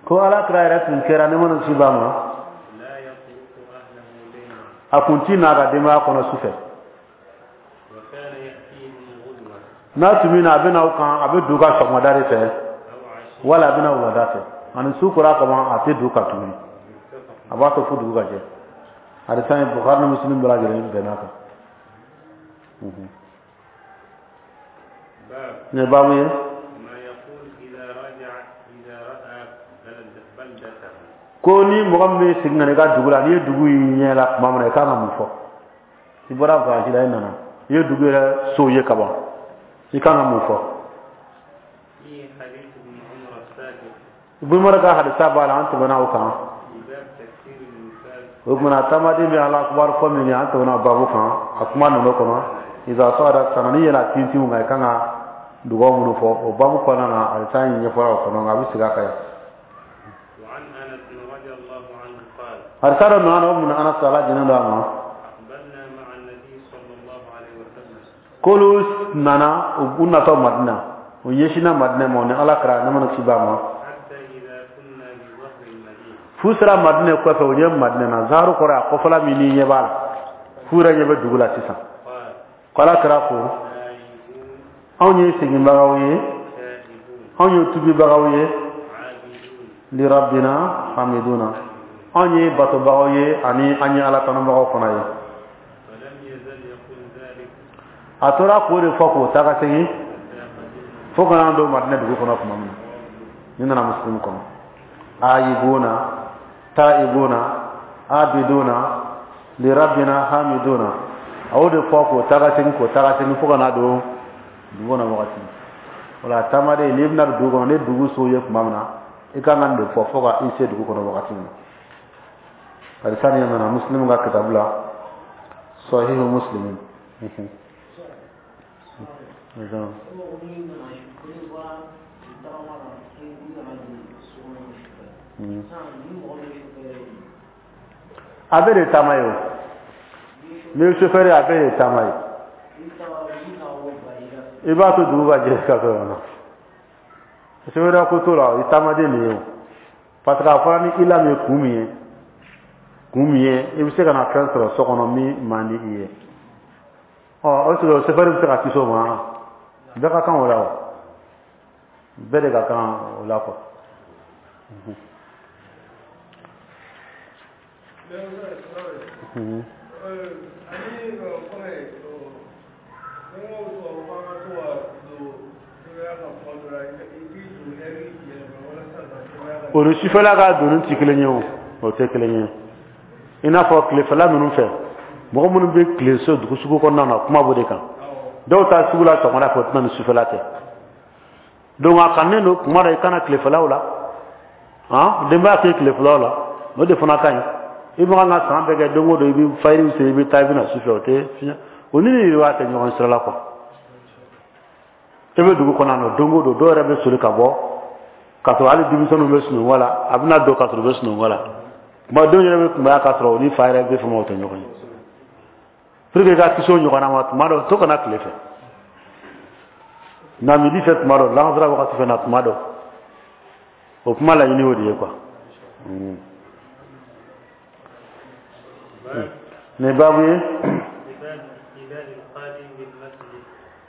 ko Ala kira yɛrɛ tun kɛra, nɛɛma ni kisi b'a ma, a kun ti n'a ka denbaya kɔnɔ su fɛ. N'a tun bɛ na, a bɛ na u kan, a bɛ don u kan sɔgɔmada de fɛ wala a bɛ na wulada fɛ. Ani su kora kaban, a tɛ don u kan tuguni, a b'a to fo dugu ka jɛ. Hadisa in, Bukhari ni Muslim bɛɛ lajɛlen bɛnn'a kan. Nin ye baabu ye ko ni mɔgɔ min bɛ segin ka na i ka dugu la, n'i ye dugu y'i ɲɛ la tuma min na, i kan ka mun fɔ? I bɔra voyage la, i nana, i ye dugu yɛrɛ sow ye kaban, i kan ka mun fɔ? Ibn Umar ka hadisa b'a la, an tɛmɛna o kan. O tuma taamaden bɛ Ala akubar fɔ min kɛ, an tɛmɛna o baabu kan. A kuma nana o kɔnɔ iza sɔgɔda sana, n'i yɛlɛla tintinw kan, i kan ka dugawu minnu fɔ o baabu kɔnɔna na, hadisa in ɲɛfɔra o kɔnɔ, nka a bɛ segin a kan yan. Hadisa dɔ nana o mun Anas, Ala jɛnnen don a ma, k'olu nana, u natɔ Madina, u ɲɛsinna Madina ma, u ni Ala kira, nɛɛma ni kisi b'a ma, f'u sera Madina kɔfɛ, u ɲɛ Madina na. Zaharu kɔrɔ a kɔfɛla min n'i ɲɛ b'a la, f'u yɛrɛ ɲɛ bɛ dugu la sisan. Ko Ala kira ko: anw ye seginbagaw ye, anw ye tubibagaw ye, lirabbina hamiduna, anw ye batobagaw ye ani an ye Ala tanubagaw fana ye. A tora k'o de fɔ k'o taa ka segin fo ka n'an don Madina dugu kɔnɔ tuma min na. Nin nana Muslim kɔnɔ. Ayibuna taibuna abiduna lirabbina hamiduna, a y'o de fɔ k'o taa ka segin, k'o taa ka segin fo ka n'a don dugu kɔnɔ wagati o la. Taamaden, n'i bɛna don dugu kɔnɔ, ni dugu so ye tuma min na, i kan ka nin de fɔ fo ka i se dugu kɔnɔ wagati min na. Hadisa nin nana Muslim ka kitabu la, Sahihu Muslim. A bɛɛ de taama ye o. N'i ye chauffeur ye, a bɛɛ de taama ye. I b'a to dugu ka jɛ ka sɔrɔ na. Chauffeur ko t'o la, i taamaden de ye o. Parce que a fɔra ni ila min ye, kun min ye, kun min ye, i bɛ se ka na fɛn sɔrɔ so kɔnɔ min man di i ye. Ɔ, o sɔrɔ chauffeur bɛ se ka kisi o ma. Bɛɛ ka kan o la o. Bɛɛ de ka kan o la quoi. O ni sufɛla ka donni tɛ kelen ye o, o tɛ kelen ye. I n'a fɔ tilefɛla ninnu fɛ, mɔgɔ minnu bɛ tile so dugu sugu kɔnɔna na, kuma b'o de kan. Dɔw taa sugu la sɔgɔmada fɛ, o tɛ na ni sufɛla tɛ. Donc a kanunen don kuma dɔ i ka na tilefɛlaw la, han, denbaya tɛ tilefɛlaw la, o de fana ka ɲi. I bɛ kan ka san bɛɛ kɛ, don o don i bɛ fayiri seli, i bɛ taa, i bɛ na sufɛ, o tɛ fiɲɛ o ni nin tɛ ɲɔgɔn sira la quoi. E bɛ dugu kɔnɔ yan nɔ, don o don dɔw yɛrɛ bɛ soli ka bɔ k'a sɔrɔ hali denmisɛnninw bɛ sunɔgɔ la, a bɛna don k'a sɔrɔ u bɛ sunɔgɔ la. Tuma denw yɛrɛ bɛ kunbaya k'a sɔrɔ u ni fa yɛrɛ bɛ fama, o tɛ ɲɔgɔn ye. Pour que i ka kisi o ɲɔgɔnna ma, tuma dɔ to ka na tile fɛ, na midi fɛ tuma dɔ, lansara wagati fɛ na tuma dɔ. O kuma laɲini o de ye quoi. Nin baabu ye,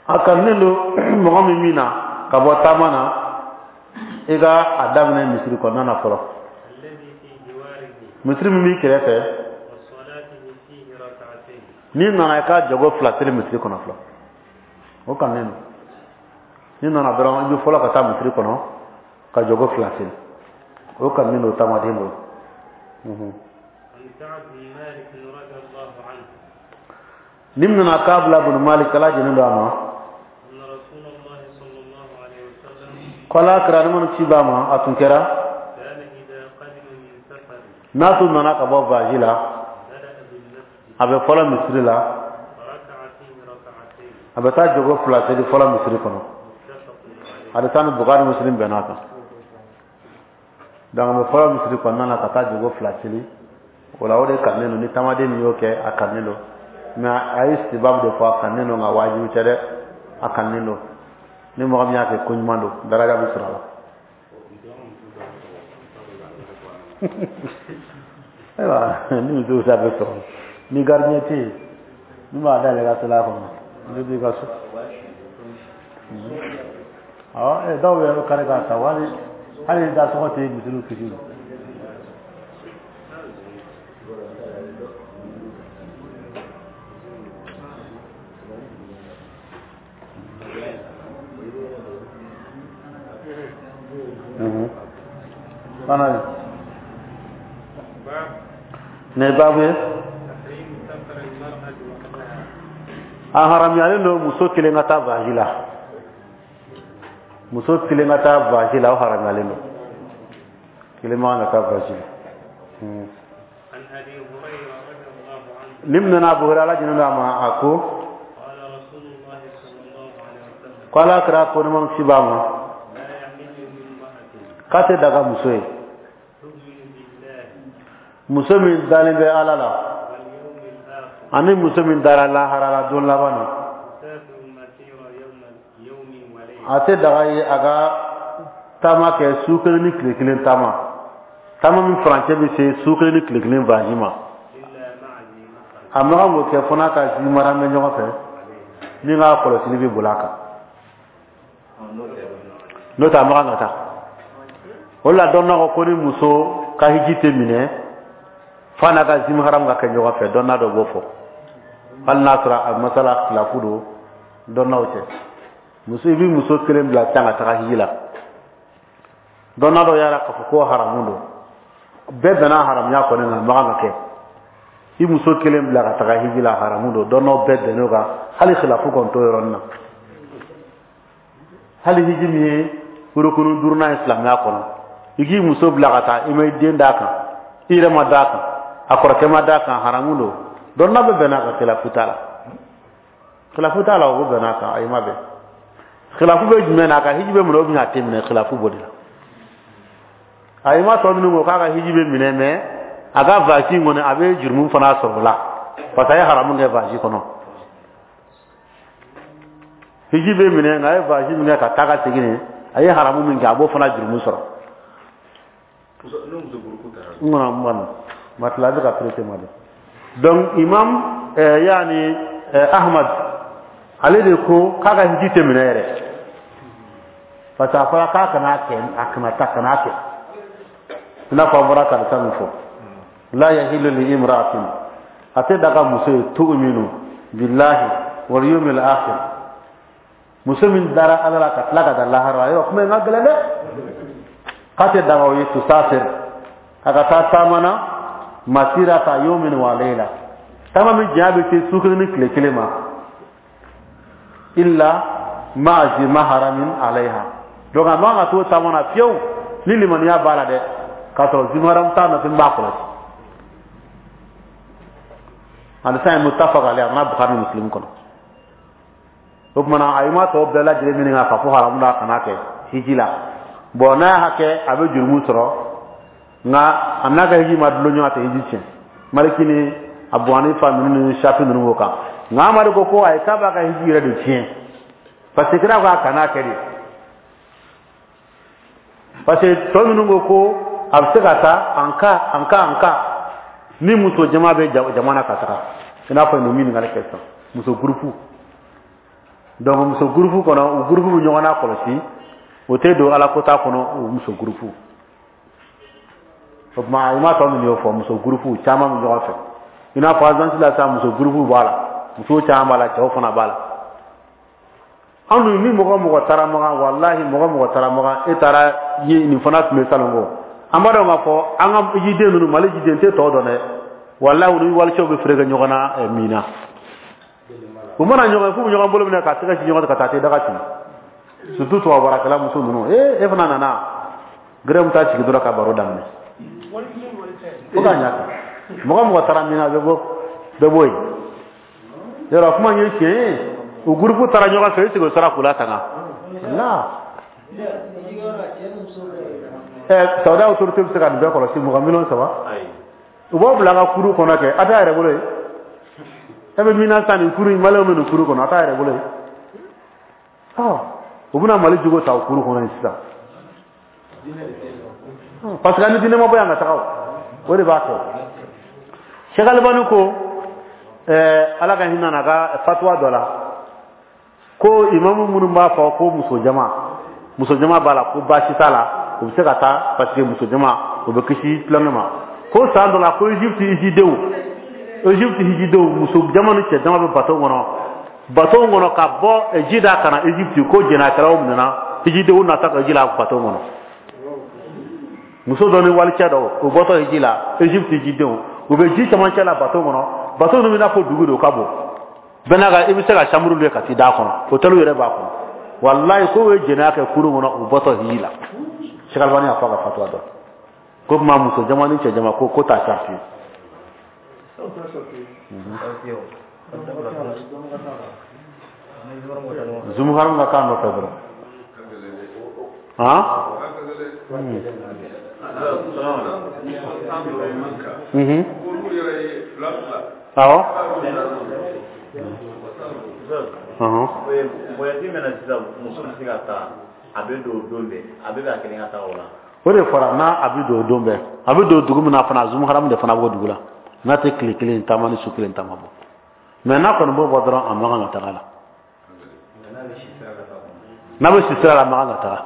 a kanunen don mɔgɔ min min na ka bɔ taama na, i ka a daminɛ misiri kɔnɔna na fɔlɔ, misiri min b'i kɛrɛfɛ. N'i nana, i ka jɔko fila seli misiri kɔnɔ fɔlɔ, o kanunen don. N'i nana dɔrɔn, i bɛ fɔlɔ ka taa misiri kɔnɔ ka jɔko fila seli, o kanunen don taamaden bolo. Nin nana Kabila bunu Malik, Ala jɛnnen don a ma, ko Ala kira, nɛɛma ni kisi b'a ma, a tun kɛra N'a tun nana ka bɔ voyage la, a bɛ fɔlɔ misiri la, a bɛ taa jogo fila seli fɔlɔ misiri kɔnɔ. Hadisa ni Bukhari Muslim bɛnna kan. Donc a bɛ fɔlɔ misiri kɔnɔna na ka taa jogo fila seli. O la o de kanunen don, ni taamaden min y'o kɛ, a kanunen don. Mais a ye istibabu de fɔ, a kanunen don, nka wajibi tɛ dɛ, a kanunen don. Ni mɔgɔ min y'a kɛ, ko ɲuman don, daraja bɛ sɔrɔ a la. Ayiwa, ni muso ta bɛ sɔrɔ ni gardien tɛ yen min b'a dayɛlɛ ka sela kɔnɔ, ne b'i ka so. Awɔ, dɔw yɛrɛ bɛ kari k'a ta, hali hali da sɔgɔ tɛ misiriw kisi. Fana ne babu ye, a haramuyalen don muso kelen ka taa voyage la. Muso kelen ka taa voyage la, o haramuyalen don. Kelen man kan ka taa voyage la. Ni minɛna Abu Hurairah, Ala jɛnna a ma, a ko ko Ala kira ko nɛɛma ni kisi b'a ma, k'a tɛ daga muso ye, muso min dalen bɛ Ala la, ani muso min dara lahara la, don laban na, a tɛ daga ye a ka taama kɛ su kelen ni tile kelen taama, taama min furancɛ bɛ se su kelen ni tile kelen voyage ma. A man kan k'o kɛ fo n'a ka zi mahram bɛ ɲɔgɔn fɛ min ka kɔlɔsili bɛ boli a kan, n'o tɛ a man kan ka taa. O la dɔnna ko ko ni muso ka hiji tɛ minɛ f'a n'a ka zi mahram ka kɛ ɲɔgɔn fɛ, dɔnna dɔ b'o fɔ, hali n'a sɔrɔ a masala khilafu don dɔnnaw cɛ. Muso, i bɛ muso kelen bila tan ka taga hiji la, dɔnna dɔ y'a k'a fɔ ko haramu don, bɛɛ bɛnna haramuya kɔni na, a man kan ka kɛ. I muso kelen bila ka taga hiji la, haramu don, dɔnnaw bɛɛ bɛnn'o kan, hali khilafu kɔni t'o yɔrɔnin na. Hali hiji min ye rukunu duurunan ye silamɛya kɔnɔ, i k'i muso bila ka taa, i ma i den d'a kan, i yɛrɛ ma d'a kan, a kɔrɔkɛ ma d'a kan, haramu don, dɔnna bɛɛ bɛnn'a kan, khilafu t'a la. Khilafu t'a la, o bɛnn'a kan, ayi ma bɛn. Khilafu bɛ jumɛn na? A ka hiji bɛ minɛ ou bien a tɛ minɛ, khilafu b'o de la. A ma tɔ minnu ko k'a ka hiji bɛ minɛ, mais a ka voyage in kɔni, a bɛ jurumu fana sɔrɔ o la, parce que a ye haramu kɛ voyage kɔnɔ. Hiji bɛ minɛ, nka a ye voyage min kɛ ka taa ka segin nin, a ye haramu min kɛ, a b'o fana jurumu sɔrɔ. N kɔnɔ n kɔnɔ matila a bɛ ka pressé ma de. Donc imam yaani Ahmad, ale de ko k'a ka hiji tɛ minɛ yɛrɛ, parce que a fɔra k'a kana kɛ, a kana taa, kana kɛ. I n'a fɔ an bɔra karisa min fɔ, la yahillu li imra'atin, a tɛ daga muso ye, tu'minu billahi wal yawmil akhir, muso min dara Ala la ka tila ka da lahara, yɔrɔ kuma in ka gɛlɛn dɛ, k'a tɛ daga o ye, tusafir, a ka taa taama na, masirata yawmin wa layla, taama min janya bɛ se su kelen ni tile kelen ma, illa ma'a zi maharamin alayha. Donc a man ka t'o taama na fiyewu ni limaniya b'a la dɛ, k'a sɔrɔ zi maharam t'a nɔfɛ min b'a kɔlɔsi. Hadisa in muttafaq alayhi, a nana Bukhari ni Muslim kɔnɔ. O tuma na a ma tɔ bɛɛ lajɛlen ɲininka k'a fɔ haramu la, kana kɛ hiji la. Bon, n'a y'a kɛ, a bɛ jurumu sɔrɔ, nka a n'a ka hiji ma dulon ɲɔgɔn, a tɛ hiji tiɲɛ. Maliki ni Abu Hanifa ninnu ni Shafi ninnu b'o kan, nka Amadu ko ko ayi, k'a b'a ka hiji yɛrɛ de tiɲɛ, parce que kira ko a kana kɛ de, parce que tɔ ninnu ko ko a bɛ se ka taa en cas en cas en cas ni muso jama bɛ jama na ka taga, i n'a fɔ nin min ɲininkali kɛ sisan, muso groupe. Donc muso groupe kɔnɔ, u groupe bɛ ɲɔgɔn na kɔlɔsi, o tɛ don ala kota kɔnɔ, o muso groupe. O tuma i m'a tɔ min y'o fɔ, muso groupe caman bɛ ɲɔgɔn fɛ, i n'a fɔ agence la sisan, muso groupe b'a la, muso caman b'a la, cɛw fana b'a la. Anw dun, ni mɔgɔ mɔgɔ taara Makan, walahi mɔgɔ mɔgɔ taara Makan, e taara ye nin fana tun bɛ salon ko an b'a dɔn k'a fɔ an ka jiden ninnu, Mali jiden tɛ tɔw dɔn dɛ, walahi u ni walicɛw bɛ feere kɛ ɲɔgɔn na min na, u mana ɲɔgɔn ye f'u bɛ ɲɔgɔn bolo minɛ ka tɛgɛ ci ɲɔgɔn ka taa te daga ci, surtout tubabu baarakɛla muso ninnu. Ee, e fana nana gɛrɛ taa sigi dɔrɔn ka baro daminɛ. Fo k'a ɲa kan. Mɔgɔ mɔgɔ taara min na, bɛɛ bɔ, bɛɛ b'o yen. Yɔrɔ kuma in ye tiɲɛ ye. O groupe taara ɲɔgɔn fɛ, est-ce que o sera k'u latanga? La. Ɛ, Saudiya autorité bɛ se ka nin bɛɛ kɔlɔsi, mɔgɔ 3 millions? U b'aw bila a ka kuru kɔnɔ kɛ, a t'a yɛrɛ bolo ye. E bɛ min na sisan, nin kuru in, Maliyɛnw bɛ nin kuru kɔnɔ, a t'a yɛrɛ bolo ye. Ɔ, u bɛna Mali jogo ta o kuru kɔnɔ yen sisan. Parce que an ni diinɛ ma bɔ yan ka taga o. O de b'a kɛ. Cheikh Albani ko, Ala ka hinɛ n'a ka fatuwa dɔ la, ko imamu minnu b'a fɔ ko muso jama b'a la, ko baasi t'a la, u bɛ se ka taa parce que muso jama u bɛ kisi tulonkɛ ma. Ko san dɔ la, ko Egypte hijidenw, muso jama ni cɛ jama bɛ bateau kɔnɔ ka bɔ Jida ka na Egypte, ko jɛnɛkɛlaw minɛna hijidenw nata ka ji la bateau kɔnɔ. Muso dɔ ni walicɛ dɔ, u bɔtɔ hiji la, Egypte hijidenw, u bɛ ji camancɛ la bateau kɔnɔ. Bateau ninnu bɛ n'a fɔ dugu de, o ka bon bɛɛ n'a ka, i bɛ se ka chambre louer ka t'i d'a kɔnɔ, hôtel yɛrɛ b'a kɔnɔ. Walayi, ko ye jɛnɛya kɛ kurun kɔnɔ, u bɔtɔ hiji la. Cheikh Albani y'a fɔ a ka fatuwa dɔ ko tuma muso jama ni cɛ jama ko t'a sarti. Zumuharam ka k'a nɔfɛ dɔrɔn. Han? Awɔ. Voyage mɛna sisan, muso bɛ se ka taa, a bɛ don don bɛɛ, a bɛ ka kelen ka taa o la. O de fɔra, n'a a bɛ don don bɛɛ, a bɛ don dugu min na fana, zumuharamu de fana b'o dugu la. N'a tɛ tile kelen taama ni su kelen taama bɔ. Mais n'a kɔni b'o bɔ dɔrɔn, a man kan ka taga la. N'a bɛ si sira la, a man kan ka taga.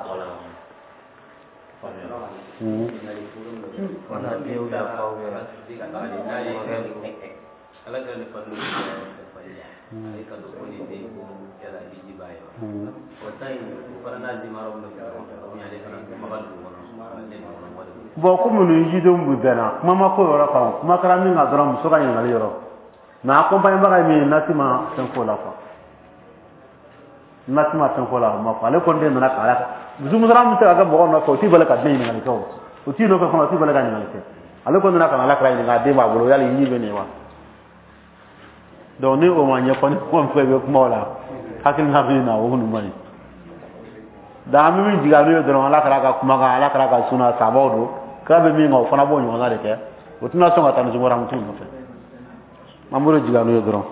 Bon, komi ninnu jidenw bɛ bɛnna, kuma ma ko yɔrɔ kan, kuma kɛra min kan dɔrɔn, muso ka ɲininkali yɔrɔ. Mais accompagnement ye min ye, nasi ma fɛn fɔ o la quoi. Nasi ma fɛn fɔ o la, o ma fɔ. Ale kɔni de nana k'a la. Zumusaran bɛ se ka kɛ mɔgɔ nɔfɛ, o t'i bali ka den ɲininkali kɛ o. O t'i nɔfɛ fana, o t'i bali ka ɲininkali kɛ. Ale kɔni nana ka na Ala kira ɲininka, a den b'a bolo, yali ɲi bɛ nin ye wa? Donc ni o ma ɲɛfɔ, ni kuma min fɔ i bɛ kuma o la, hakilina bɛ na o ninnu man ɲi. Donc an bɛ min jigin n'o ye dɔrɔn, Ala kira ka kumakan, Ala kira ka suna, sabaw don, kira bɛ min kan, o fana b'o ɲɔgɔnna de kɛ. O tɛna sɔn ka taa ni zumuharamutu nɔfɛ. An b'o de jigin n'o ye dɔrɔn.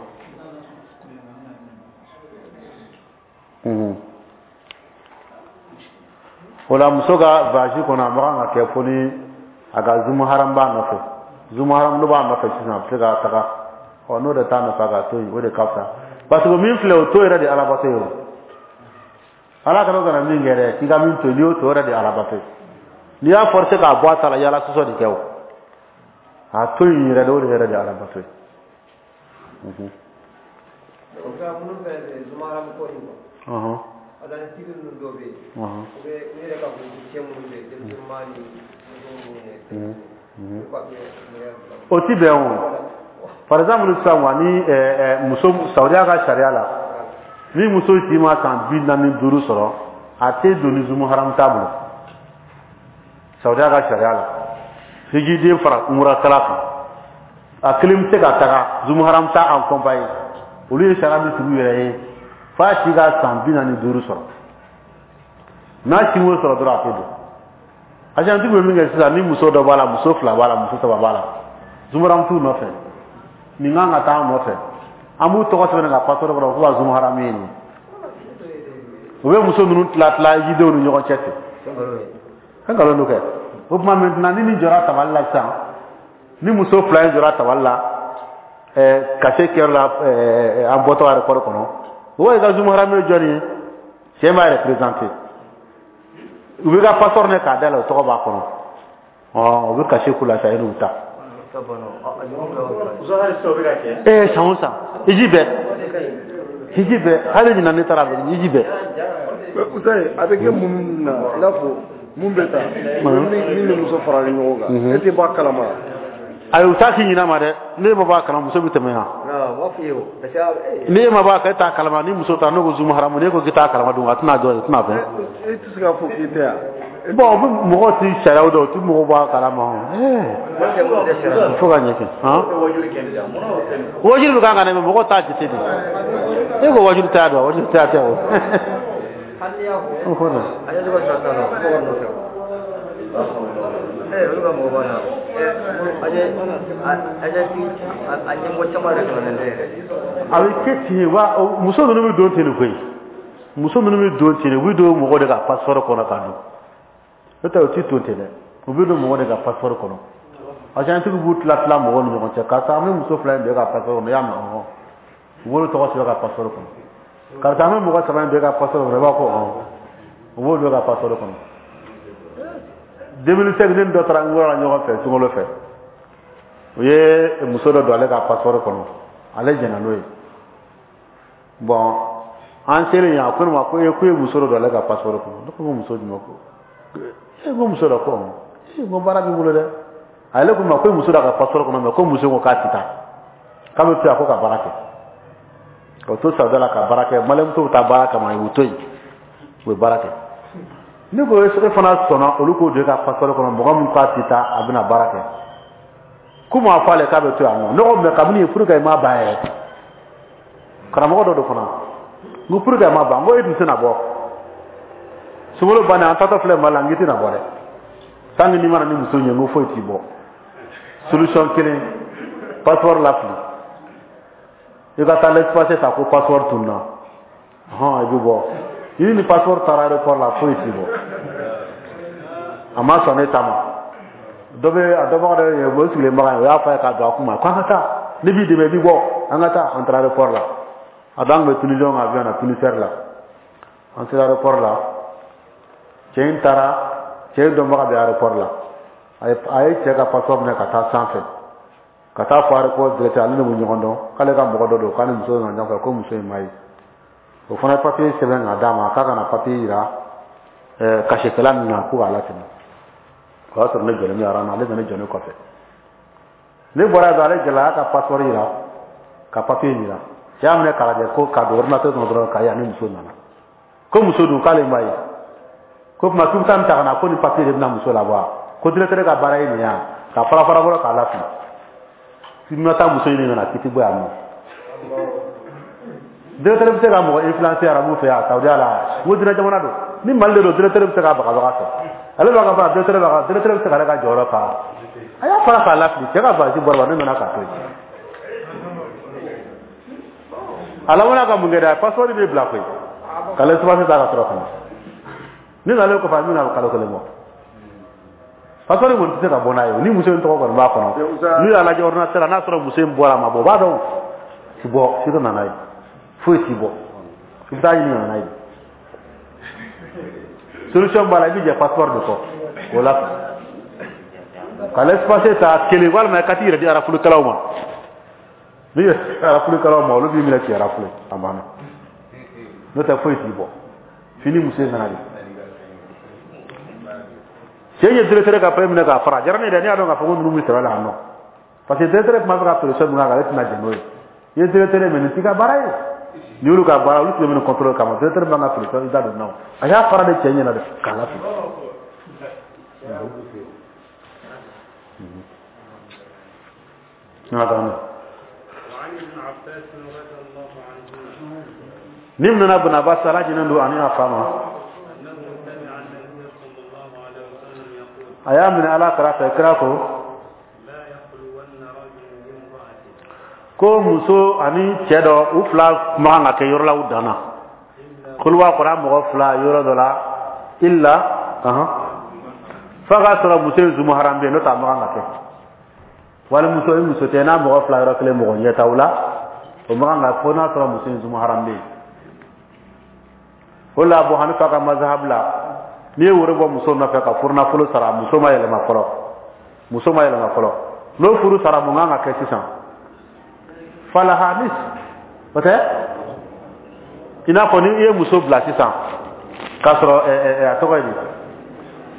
O la muso ka voyage kɔnɔ, a man kan ka kɛ fo ni a ka zumuharam b'a nɔfɛ. Zumuharam n'o b'a nɔfɛ sisan, a bɛ se ka taga. Ɔ, n'o de t'a nɔfɛ, a ka to yen, o de ka fisa. Parce que min filɛ, o to yɛrɛ de alabato ye o. Ala kana min kɛ dɛ, k'i ka min to yen, n'i y'o to yɛrɛ de alabato ye. N'i y'a forcer k'a bɔ a ta la, yala sɔsɔ de kɛ o. A to yen yɛrɛ de, o de yɛrɛ de alabato ye. O ti bɛn o. Par exemple sisan wa, ni muso Saudiya ka sariya la, ni muso si ma san 45 sɔrɔ, a tɛ don ni zumu haram t'a bolo. Saudiya ka sariya la, hijiden fara umurakɛla kan, a kelen bɛ se ka taga zumu haram t'a accompagner. Olu ye sariya min sigi u yɛrɛ ye, f'a si ka san 45 sɔrɔ. N'a si m'o sɔrɔ dɔrɔn, a tɛ don. Agentigi bɛ min kɛ sisan, ni muso dɔ b'a la, muso fila b'a la, muso saba b'a la, zumu haram t'u nɔfɛ, nin kan ka taa an nɔfɛ, an b'u tɔgɔ sɛbɛn ka passeport kɔnɔ k'u ka zumu haram ye nin ye. U bɛ muso ninnu tila tila jidenw ni ɲɔgɔn cɛ ten. Fɛn nkalon don kɛ. O tuma maintenant, ni nin jɔra tabali la sisan, ni muso fila in jɔra tabali la, cachet kɛyɔrɔ la, an bɔtɔ aéroport kɔnɔ, o i ka zumu haram ye jɔnni ye? Cɛ b'a yɛrɛ présenter. U bɛ ka passeport ne k'a da la, o tɔgɔ b'a kɔnɔ. Ɔ, u bɛ cachet k'u la sisan, e n'u ta. San o san, hiji bɛɛ. Hiji bɛɛ, hali ɲinan ne taara a bɛ hiji bɛɛ. A bɛ kɛ mun na, i n'a fɔ mun bɛ taa min ni muso faralen ɲɔgɔn kan, e tɛ bɔ a kalama. Ayi, u t'a k'i ɲin'a ma dɛ, ne ma bɔ a kalama, muso bɛ tɛmɛ yan. Ni e ma bɔ a kan, e t'a kalama, ni muso ta n'o ko zumu haramu, n'e ko k'i t'a kalama dun, a tɛna jɔ, a tɛna fɛn. E tɛ se k'a fɔ k'i tɛ yan. Bon, o bɛ mɔgɔw ti sariyaw dɔn, o ti mɔgɔw b'a kalama. Il faut ka ɲɛ kɛ. Wajulu bɛ kan ka na, mais mɔgɔw t'a jate de. E ko wajulu t'a dɔn, wajulu t'a tɛ o. O ko dɛ. Olu ka mɔgɔ b'a la. A ɲɛmɔgɔ caman yɛrɛ kalannen tɛ yɛrɛ. A bɛ kɛ ten wa, muso ninnu bɛ don ten de koyi. Muso ninnu bɛ don ten de, u bɛ don mɔgɔ de ka passeport kɔnɔ ka don. N'o tɛ u ti don ten dɛ. U bɛ don mɔgɔ de ka passeport kɔnɔ. Agent b'u tila tila mɔgɔw ni ɲɔgɔn cɛ. Karisa, an bɛ muso fila in don e ka passeport kɔnɔ, i y'a mɛn ɔhɔn. U b'olu tɔgɔ sɛbɛn ka passeport kɔnɔ. Karisa, an bɛ mɔgɔ saba in don e ka passeport kɔnɔ, i b'a fɔ ɔhɔn. U b'o don e ka passeport kɔnɔ. 2005, ne ni dɔ taara n la ɲɔgɔn fɛ sunkalo fɛ. U ye muso dɔ don ale ka passeport kɔnɔ. Ale jɛnna n'o ye. Bon, an selen yen, a ko ne ma ko e ko e ye muso dɔ don ale ka passeport kɔnɔ. Ne ko muso jumɛn ko? E ko muso dɔ ko ɔhɔn. E ko baara b'i bolo dɛ. Ale ko ma ko muso dɔ ka passeport kɔnɔ, mais ko muso ko k'a tɛ taa. K'a bɛ to yan ko ka baara kɛ. Ka to Saudiya la ka baara kɛ. Maliyɛnmuso bɛ taa baara kama, u bɛ to yen. U bɛ baara kɛ. Ne ko e fana sɔnna olu k'o don e ka passeport kɔnɔ, mɔgɔ min k'a tɛ taa, a bɛna baara kɛ. K'u m'a fɔ ale k'a bɛ to yan nɔ. Ne ko mais kabini yen pour que i m'a ban yɛrɛ. Karamɔgɔ dɔ don fana. N ko pour que i m'a ban, n ko e dun tɛna bɔ. Sunkalo bannen, an taatɔ filɛ Mali la, n k'i tɛna bɔ dɛ. Tant que n'i ma na ni muso ye, n ko foyi t'i bɔ. Solution kelen, passeport lafili. I ka taa laissez-passer ta ko passeport tununna. Hɔn, i bɛ bɔ. I ni passeport taara aéroport la, foyi t'i bɔ. A ma sɔn ne ta ma. Dɔ bɛ a dɔnbaga dɔ ye, o sigilen baga ye, o y'a fɔ a ye k'a don a kun ma ko an ka taa. Ne b'i dɛmɛ, i bɛ bɔ. An ka taa, an taara aéroport la. A don an tun bɛ Tunisiyɛnw ka avion na, Tunisair la. An sera aéroport la. Cɛ in taara, cɛ in dɔnbaga bɛ aéroport la. A ye cɛ ka passeport minɛ ka taa sanfɛ. Ka taa fɔ aéroport directeur, ale ne bɛ ɲɔgɔn dɔn, k'ale ka mɔgɔ dɔ don, k'a ni muso nana ɲɔgɔn fɛ, ko muso in ma ye. O fana ye papier sɛbɛn k'a d'a ma, k'a ka na papier yira cachet-kɛla ninnu na k'u k'a latɛmɛ. O y'a sɔrɔ ne jɔlen bɛ rang na, ale nana jɔ ne kɔfɛ. Ne bɔra yen dɔrɔn, ale jɔla, a y'a ka passeport yira, ka papier yira. Cɛ y'a minɛ k'a lajɛ ko k'a don ordinateur kɔnɔ dɔrɔn k'a ye ani muso nana. Ko muso dun k'ale ma ye. Ko tuma k'i bɛ taa nin ta ka na, ko nin papier de bɛna muso labɔ wa? Ko directeur ka baara ye nin ye wa? Ka fara fara bɔrɔ k'a lafili. K'i bɛna taa muso ɲini ka na, k'i tɛ bɔ yan nɔ. Directeur bɛ se ka mɔgɔ influencer arabu fɛ yan, Saudiya la. N ko diinɛ jamana don. Ni Mali de don, directeur bɛ se k'a bagabaga fɛ. Ale b'a ka fara, directeur b'a ka, directeur bɛ se k'ale ka jɔyɔrɔ fa. A y'a fara k'a lafili, cɛ ka valise bɔra, ne nana k'a to yen. A labanna ka mun kɛ dɛ, a passeport bɛ bila koyi. Ka laissez-passer ta ka sɔrɔ ka na. Ne nalen kɔfɛ, a bɛna kalo kelen bɔ. Passeport kɔni tɛ se ka bɔ n'a ye, ni muso in tɔgɔ kɔni b'a kɔnɔ. N'u y'a lajɛ ordinateur la, n'a sɔrɔ muso in bɔra a ma bɔ, u b'a dɔn. Ti bɔ, f'i ka na n'a ye. Foyi t'i bɔ. I bɛ taa ɲini ka na n'a ye. Solution b'a la, i bɛ jɛ passeport de kɔ. O la ka laissez-passer ta kelen, walima ka t'i yɛrɛ di arafulikɛlaw ma. N'i yɛrɛ di arafulikɛlaw ma, olu b'i minɛ k'i arafule, a banna. N'o tɛ foyi t'i bɔ. F'i ni muso in nana de. Cɛ ye directeur ka papier minɛ k'a fara. A diyara ne ye dɛ, ne y'a dɔn k'a fɔ ko ninnu bɛ sɛbɛ la yan nɔ. Parce que directeur tun b'a fɛ ka pression min k'a kan, ale tɛna jɛn n'o ye. I ye directeur ye, mais nin t'i ka baara ye. Ni y'olu ka baara, olu tun bɛ minɛ contrôle kama. Directeur b'an ka pression i da don na o. A y'a fara de cɛ ɲɛna dɛ, k'a lafili. Ni nana Ibn Abbas, Ala jɛnnen don ani a fa ma. A y'a minɛ Ala kira fɛ, kira ko ko muso ani cɛ dɔ, u fila man kan ka kɛ yɔrɔ la u dan na. Kuluwa kɔrɔ mɔgɔ fila yɔrɔ dɔ la, illa f'a k'a sɔrɔ muso in zu maharam bɛ yen, n'o tɛ a man kan ka kɛ. Wali muso i muso tɛ n'a mɔgɔ fila yɔrɔ kelen mɔgɔ ɲɛ t'aw la, o man kan ka fo n'a sɔrɔ muso in zu maharam bɛ yen. O la Abu Hanifa ka mazhab la, n'i ye woro bɔ muso nɔfɛ ka furunafolo sara, muso ma yɛlɛma fɔlɔ, muso ma yɛlɛma fɔlɔ, n'o furu sara, mun kan ka kɛ sisan? Falaha nis, o tɛ i n'a fɔ ni i ye muso bila sisan k'a sɔrɔ a tɔgɔ ye di,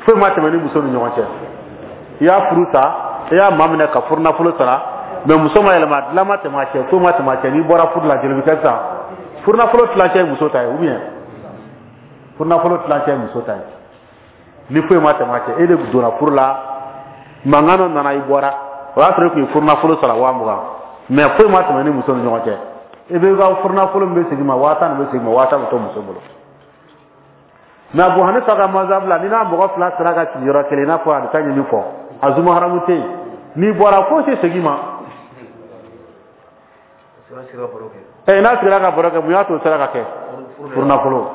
foyi ma tɛmɛ ni muso ni ɲɔgɔn cɛ, i y'a furu sa, i y'a maminɛ ka furunafolo sara, mais muso ma yɛlɛma, dilan ma tɛmɛ a cɛ, foyi ma tɛmɛ a cɛ, n'i bɔra furu la, joli bɛ kɛ sisan? Furunafolo tilancɛ ye muso ta ye, ou bien furunafolo tilancɛ ye muso ta ye. Ni foyi ma tɛmɛ a cɛ, e de donna furu la, mankan dɔ nana, i bɔra, o y'a sɔrɔ e tun ye furunafolo sara 20,000, mais foyi ma tɛmɛ ni muso ni ɲɔgɔn cɛ. I bɛ ka furunafolo min bɛ segin ma, 10,000 de bɛ segin ma, 10,000 bɛ to muso bolo. Mais Abu Hanifa ka mazhabu la, ni n'a mɔgɔ fila sera ka sigi yɔrɔ kelen, i n'a fɔ a bɛ taa ɲini fɔ a zuma haramu tɛ yen, n'i bɔra foyi tɛ segin ma. Ɛ, n'a sigira ka baro kɛ, mun y'a to o sera ka kɛ? Furunafolo.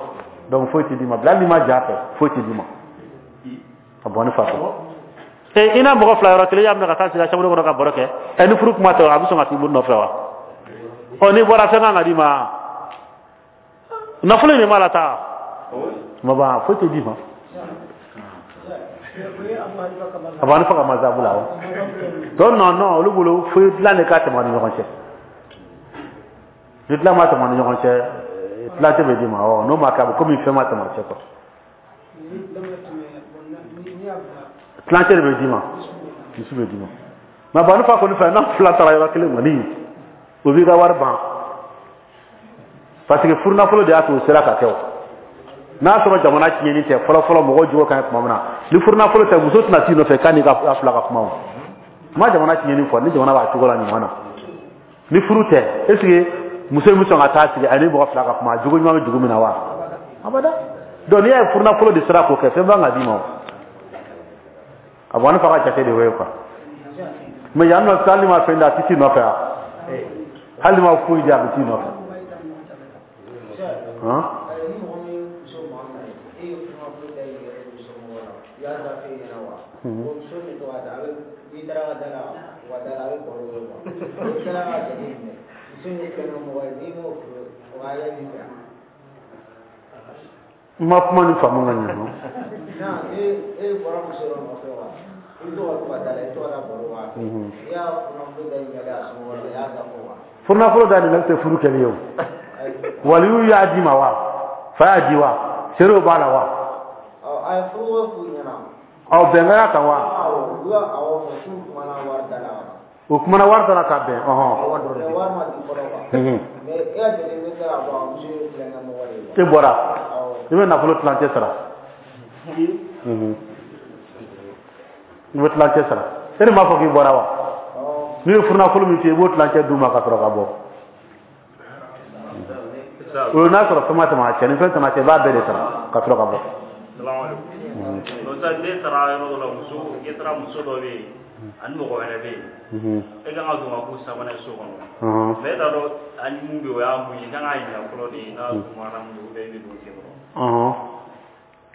Donc foyi tɛ d'i ma bila, hali n'i ma ja fɛ, foyi tɛ d'i ma. Abu Hanifa fɛ. Ɛ, i n'a mɔgɔ fila yɔrɔ kelen, i y'a minɛ ka taa sigi a chambre kɔnɔ ka baro kɛ, ɛ, ni furu kuma tɛ, a bɛ sɔn ka t'i bolo nɔfɛ wa? Ɔ, n'i bɔra, fɛn kan ka d'i ma, nafolo in de b'a la taa ma ban, foyi tɛ d'i ma. Abu Hanifa ka mazabu la o. Donc non non, olu bolo foyi dilan de ka tɛmɛ a ni ɲɔgɔn cɛ. Ni dilan ma tɛmɛ a ni ɲɔgɔn cɛ, tilancɛ bɛ d'i ma. Ɔ, n'o ma kɛ, a bɛ komi fɛn ma tɛmɛ a cɛ quoi. Tilancɛ de bɛ d'i ma, misi bɛ d'i ma. Mais Abu Hanifa kɔni fɛ, n'a fila taara yɔrɔ kelen kɔni, o b'i ka wari ban, parce que furunafolo de y'a to o sera ka kɛ. O n'a sɔrɔ jamana tiɲɛni tɛ, fɔlɔ fɔlɔ mɔgɔw jogo ka ɲi tuma min na, ni furunafolo tɛ, muso tɛna t'i nɔfɛ k'a n'i ka fila ka kuma. O ma jamana tiɲɛni fɔ, ni jamana b'a cogo la ɲuman na, ni furu tɛ, est ce que muso in bɛ sɔn ka taa sigi a ni mɔgɔ fila ka kuma, jogo ɲuman bɛ dugu min na wa? Abada. Donc n'i y'a ye furunafolo de sera k'o kɛ, fɛn b'an ka d'i ma. O Abu Hanifa ka jate de y'o ye quoi. Mais yan nɔ sisan, hali ni ma fɛn di, a tɛ t'i nɔfɛ wa? Hali ni ma foyi di, a bɛ t'i nɔfɛ. Han? N ma kuma ni faamu ka ɲɛ nɔ. Furunafolo da ɲininkali tɛ furu kɛli ye o. Waliyu y'a d'i ma wa? Fa y'a di wa? Seerew b'a la wa? Ɔ, bɛnkan y'a kan wa? O kumana wari da la ka bɛn. Ɔhɔn. E bɔra, i bɛ nafolo tilancɛ sara. I bɛ tilancɛ sara. E de m'a fɔ k'i bɔra wa? N'u ye furunafolo min f'i ye, i b'o tilancɛ d'u ma ka sɔrɔ ka bɔ. O n'a sɔrɔ fɛn ma tɛmɛ a cɛ, ni fɛn tɛmɛ a cɛ, i b'a bɛɛ de sara ka sɔrɔ ka bɔ. Ne taara yɔrɔ dɔ la, muso, e taara muso dɔ bɛ yen ani mɔgɔ wɛrɛ bɛ yen, e kan ka don ka k'u sabanan ye so kɔnɔ, mais e t'a dɔn ani mun bɛ yen, o y'a mun ye, i kan k'a ɲininka fɔlɔ de, n'a sumara mun don, ou bien i bɛ don sen kɔrɔ.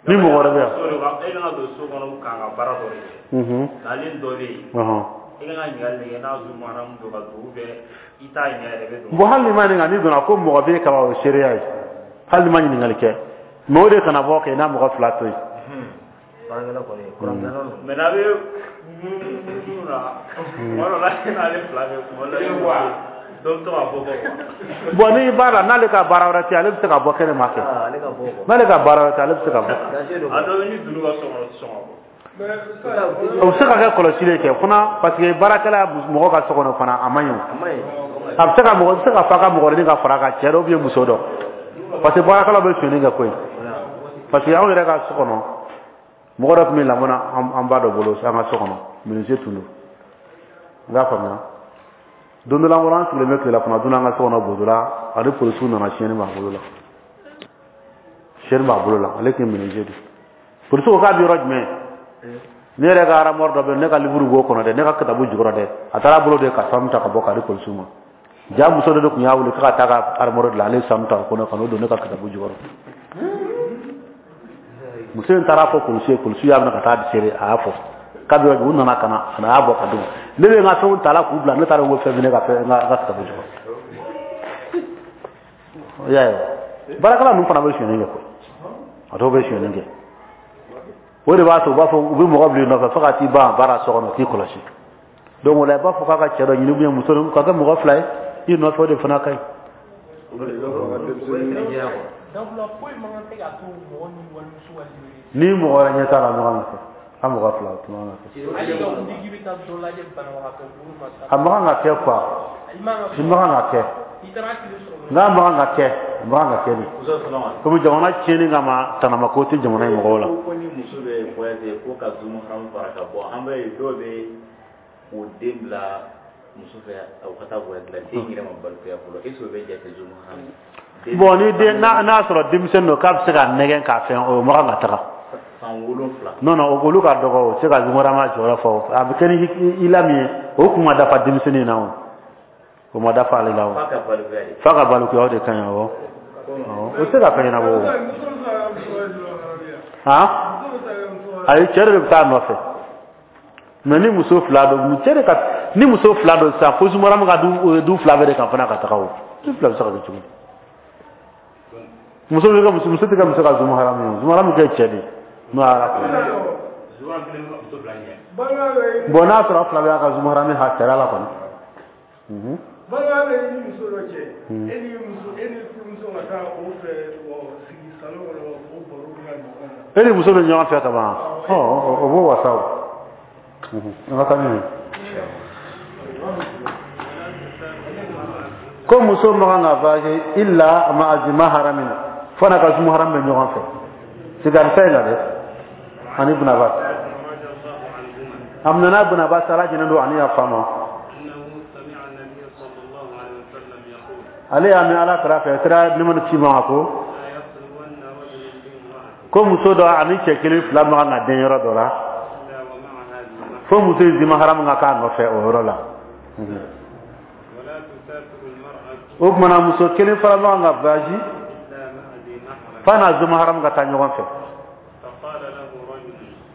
Ni mɔgɔ wɛrɛ bɛ yan, e kan ka don so kɔnɔ k'an ka baara dɔ de kɛ, ale ni dɔ bɛ yen, e kan ka ɲininkali de kɛ n'a sumara mun don ka don, ou bien i t'a ɲininka yɛrɛ, bɛ don. Bon, hali ni ma ɲininka, n'i donna ko mɔgɔ bɛ yen kaban, o ye seereya ye. Hali ni ma ɲininkali kɛ, mais o de kana bɔ kɛ i n'a mɔgɔ fila to yen. Mais n'a bɛ munumunu na, tuma dɔ la e n'ale fila bɛ kuma dɔ la, dɔ bɛ to ka bɔ bɔ. Bon, n'i b'a la, n'ale ka baara wɛrɛ tɛ, ale bɛ se ka bɔ kɛnɛ ma kɛ. N'ale ka baara wɛrɛ tɛ, ale bɛ se ka bɔ. A dɔ bɛ ni dunu ka so kɔnɔ, o tɛ sɔn ka bɔ. O bɛ se ka kɛ kɔlɔsili kɛ fana, parce que baarakɛla mɔgɔ ka so kɔnɔ fana, a man ɲi o. A bɛ se ka mɔgɔ, bɛ se ka fa ka mɔgɔ wɛrɛ ka fara a kan, cɛ dɔ ou bien muso dɔ, parce que baarakɛlaw bɛ sonyɛni kɛ koyi. Parce que anw yɛrɛ ka so kɔnɔ, mɔgɔ dɔ tun bɛ lamɔ na an ba dɔ bolo an ka so kɔnɔ, menuisier tun don. N k'a faamuya, don dɔ la, an bɔra, an sigilen bɛ tilelafana dun an ka so kɔnɔ Bozola, ani polisiw nana, siyɛnni b'a bolo la, siyɛnni b'a bolo la, ale tun ye menuisier de ye. Polisiw ko k'a bɛ yɔrɔ jumɛn? Ne yɛrɛ ka armoire dɔ bɛ yen, ne ka livre b'o kɔnɔ dɛ, ne ka kitabu jukɔrɔ dɛ. A taara bolo de ka sanu ta ka bɔ k'a di polisiw ma. Ja, muso dɔ de tun y'a wele k'a ka taa ka armoire dilan, ale ye sanu ta kɔnɔ ka n'o don ne ka kitabu jukɔrɔ. Muso in taara fɔ polisi ye, polisi y'a minɛ ka taa seere, a y'a fɔ k'a bɛ yɔrɔ jumɛn, u nana ka na a y'a bɔ ka d'u ma. Ne bɛ n ka fɛnw ta la k'u bila, ne taara n ko fɛn bɛ ne ka fɛn n ka kitabu jukɔrɔ. I y'a ye wa? Baarakɛla ninnu fana bɛ sonyɛni kɛ koyi, a dɔw bɛ sonyɛni kɛ. O de b'a to u b'a fɔ u bɛ mɔgɔ bila i nɔfɛ fo ka t'i ban baara so kɔnɔ k'i kɔlɔsi. Donc o la, i b'a fɔ k'a ka cɛ dɔ ɲini ou bien muso dɔ ka kɛ mɔgɔ fila ye i nɔfɛ, o de fana ka ɲi. Ni mɔgɔ wɛrɛ ɲɛ t'a la, ɲɔgɔn ka kɛ a mɔgɔ fila, o tuma ka kɛ. A man kan ka kɛ quoi, i man kan ka kɛ, n'a man kan ka kɛ. A man kan ka kɛ de, komi jamana tiɲɛni kama, tanamako tɛ jamana in mɔgɔw la. Ko ni muso bɛ voyage ko ka zu maharamu fara ka bɔ, an bɛ ye dɔw bɛ o den bila muso fɛ, o ka taa voyage la, den yɛrɛ ma balikuya fɔlɔ, est ce que o bɛ jate zu maharamu? Bon, ni den n'a sɔrɔ denmisɛnnin don k'a bɛ se ka nɛgɛn k'a fɛn, o man kan ka taga. San 7. Non, non, olu ka dɔgɔ, o tɛ se ka zu maharamu jɔyɔrɔ fɔ. A bɛ kɛ ni i la min ye, o kun ma dafa denmisɛnnin na, o ma dafa ale la o. F'a ka balikuya de. F'a ka balikuya, o de ka ɲi. Awɔ, o tɛ se ka fɛn ɲɛnabɔ o. Han, ayi, cɛ de bɛ taa a nɔfɛ. Mais ni muso fila don, cɛ de ka, ni muso fila don sisan, fo zu maharamu ka du fila bɛɛ de kan fana ka taga. O du fila bɛ se ka kɛ cogo di? Muso bɛ kɛ muso, muso tɛ kɛ muso ka zu maharamu ye. Zu maharamu kɛ cɛ de n'o y'a ko. Bon, n'a sɔrɔ fila bɛ y'a ka zu maharamu ha sariya la kɔni. Balimaya bɛ i ni muso dɔ cɛ, e ni muso, e ni furumuso ka taa o fɛ sigi salon kɔnɔ, o baro bɛ ka ɲɔgɔn na. E ni muso bɛ ɲɔgɔn fɛ ka ban, ɔ o b'o wasa o. An ka taa ni ye. Ko muso man kan ka voyager illa ma'a zi maharamin, fo n'a ka zu maharam bɛ ɲɔgɔn fɛ. Sigarisa in na dɛ, ani Ibn Abbas. A minɛna Ibn Abbas, Ala jɛnnen don ani y'a fa ma. Ale y'a mɛn Ala kira fɛ, kira nɛɛma ni kisi b'a ma, ko muso dɔ ani cɛ kelen fila man kan ka den yɔrɔ dɔ la, fo muso in zi maharamu ka k'a nɔfɛ o yɔrɔ la. O tuma na muso kelen fana man kan ka voyage f'a n'a zu maharamu ka taa ɲɔgɔn fɛ.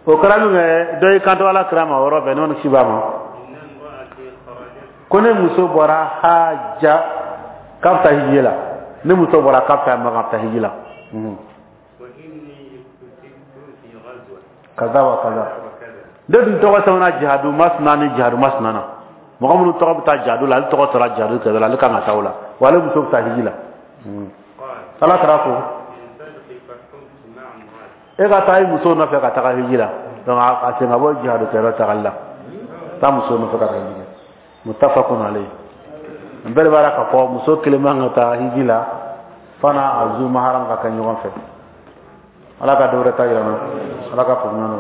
O kɛra min kɛ, dɔ y'i kanto Ala kira ma o yɔrɔ bɛɛ, nɛɛma ni kisi b'a ma, ko ne muso bɔra haja k'a bɛ taa hiji la, ne muso bɔra k'a bɛ taa Maka, bɛ taa hiji la, kaza wa kaza. Ne dun tɔgɔ sɛbɛnna jihadu masina ni jihadu masina na, mɔgɔ minnu tɔgɔ bɛ taa jihadu la, ale tɔgɔ tora jihadu kɛlɛ la, ale kan ka taa o la, wa ale muso bɛ taa hiji la. Ala kira ko e ka taa i muso nɔfɛ ka taga hiji la. Donc a sen ka bɔ jihadu kɛyɔrɔ tagali la, taa muso nɔfɛ ka taa hiji la. Muttafaqun alayhi. N bɛɛ de b'a la k'a fɔ muso kelen man ka taa hiji la f'a n'a a zu maharam ka kɛ ɲɔgɔn fɛ. Ala ka dɔ wɛrɛ ta yira n na, Ala ka faamuya nɔ.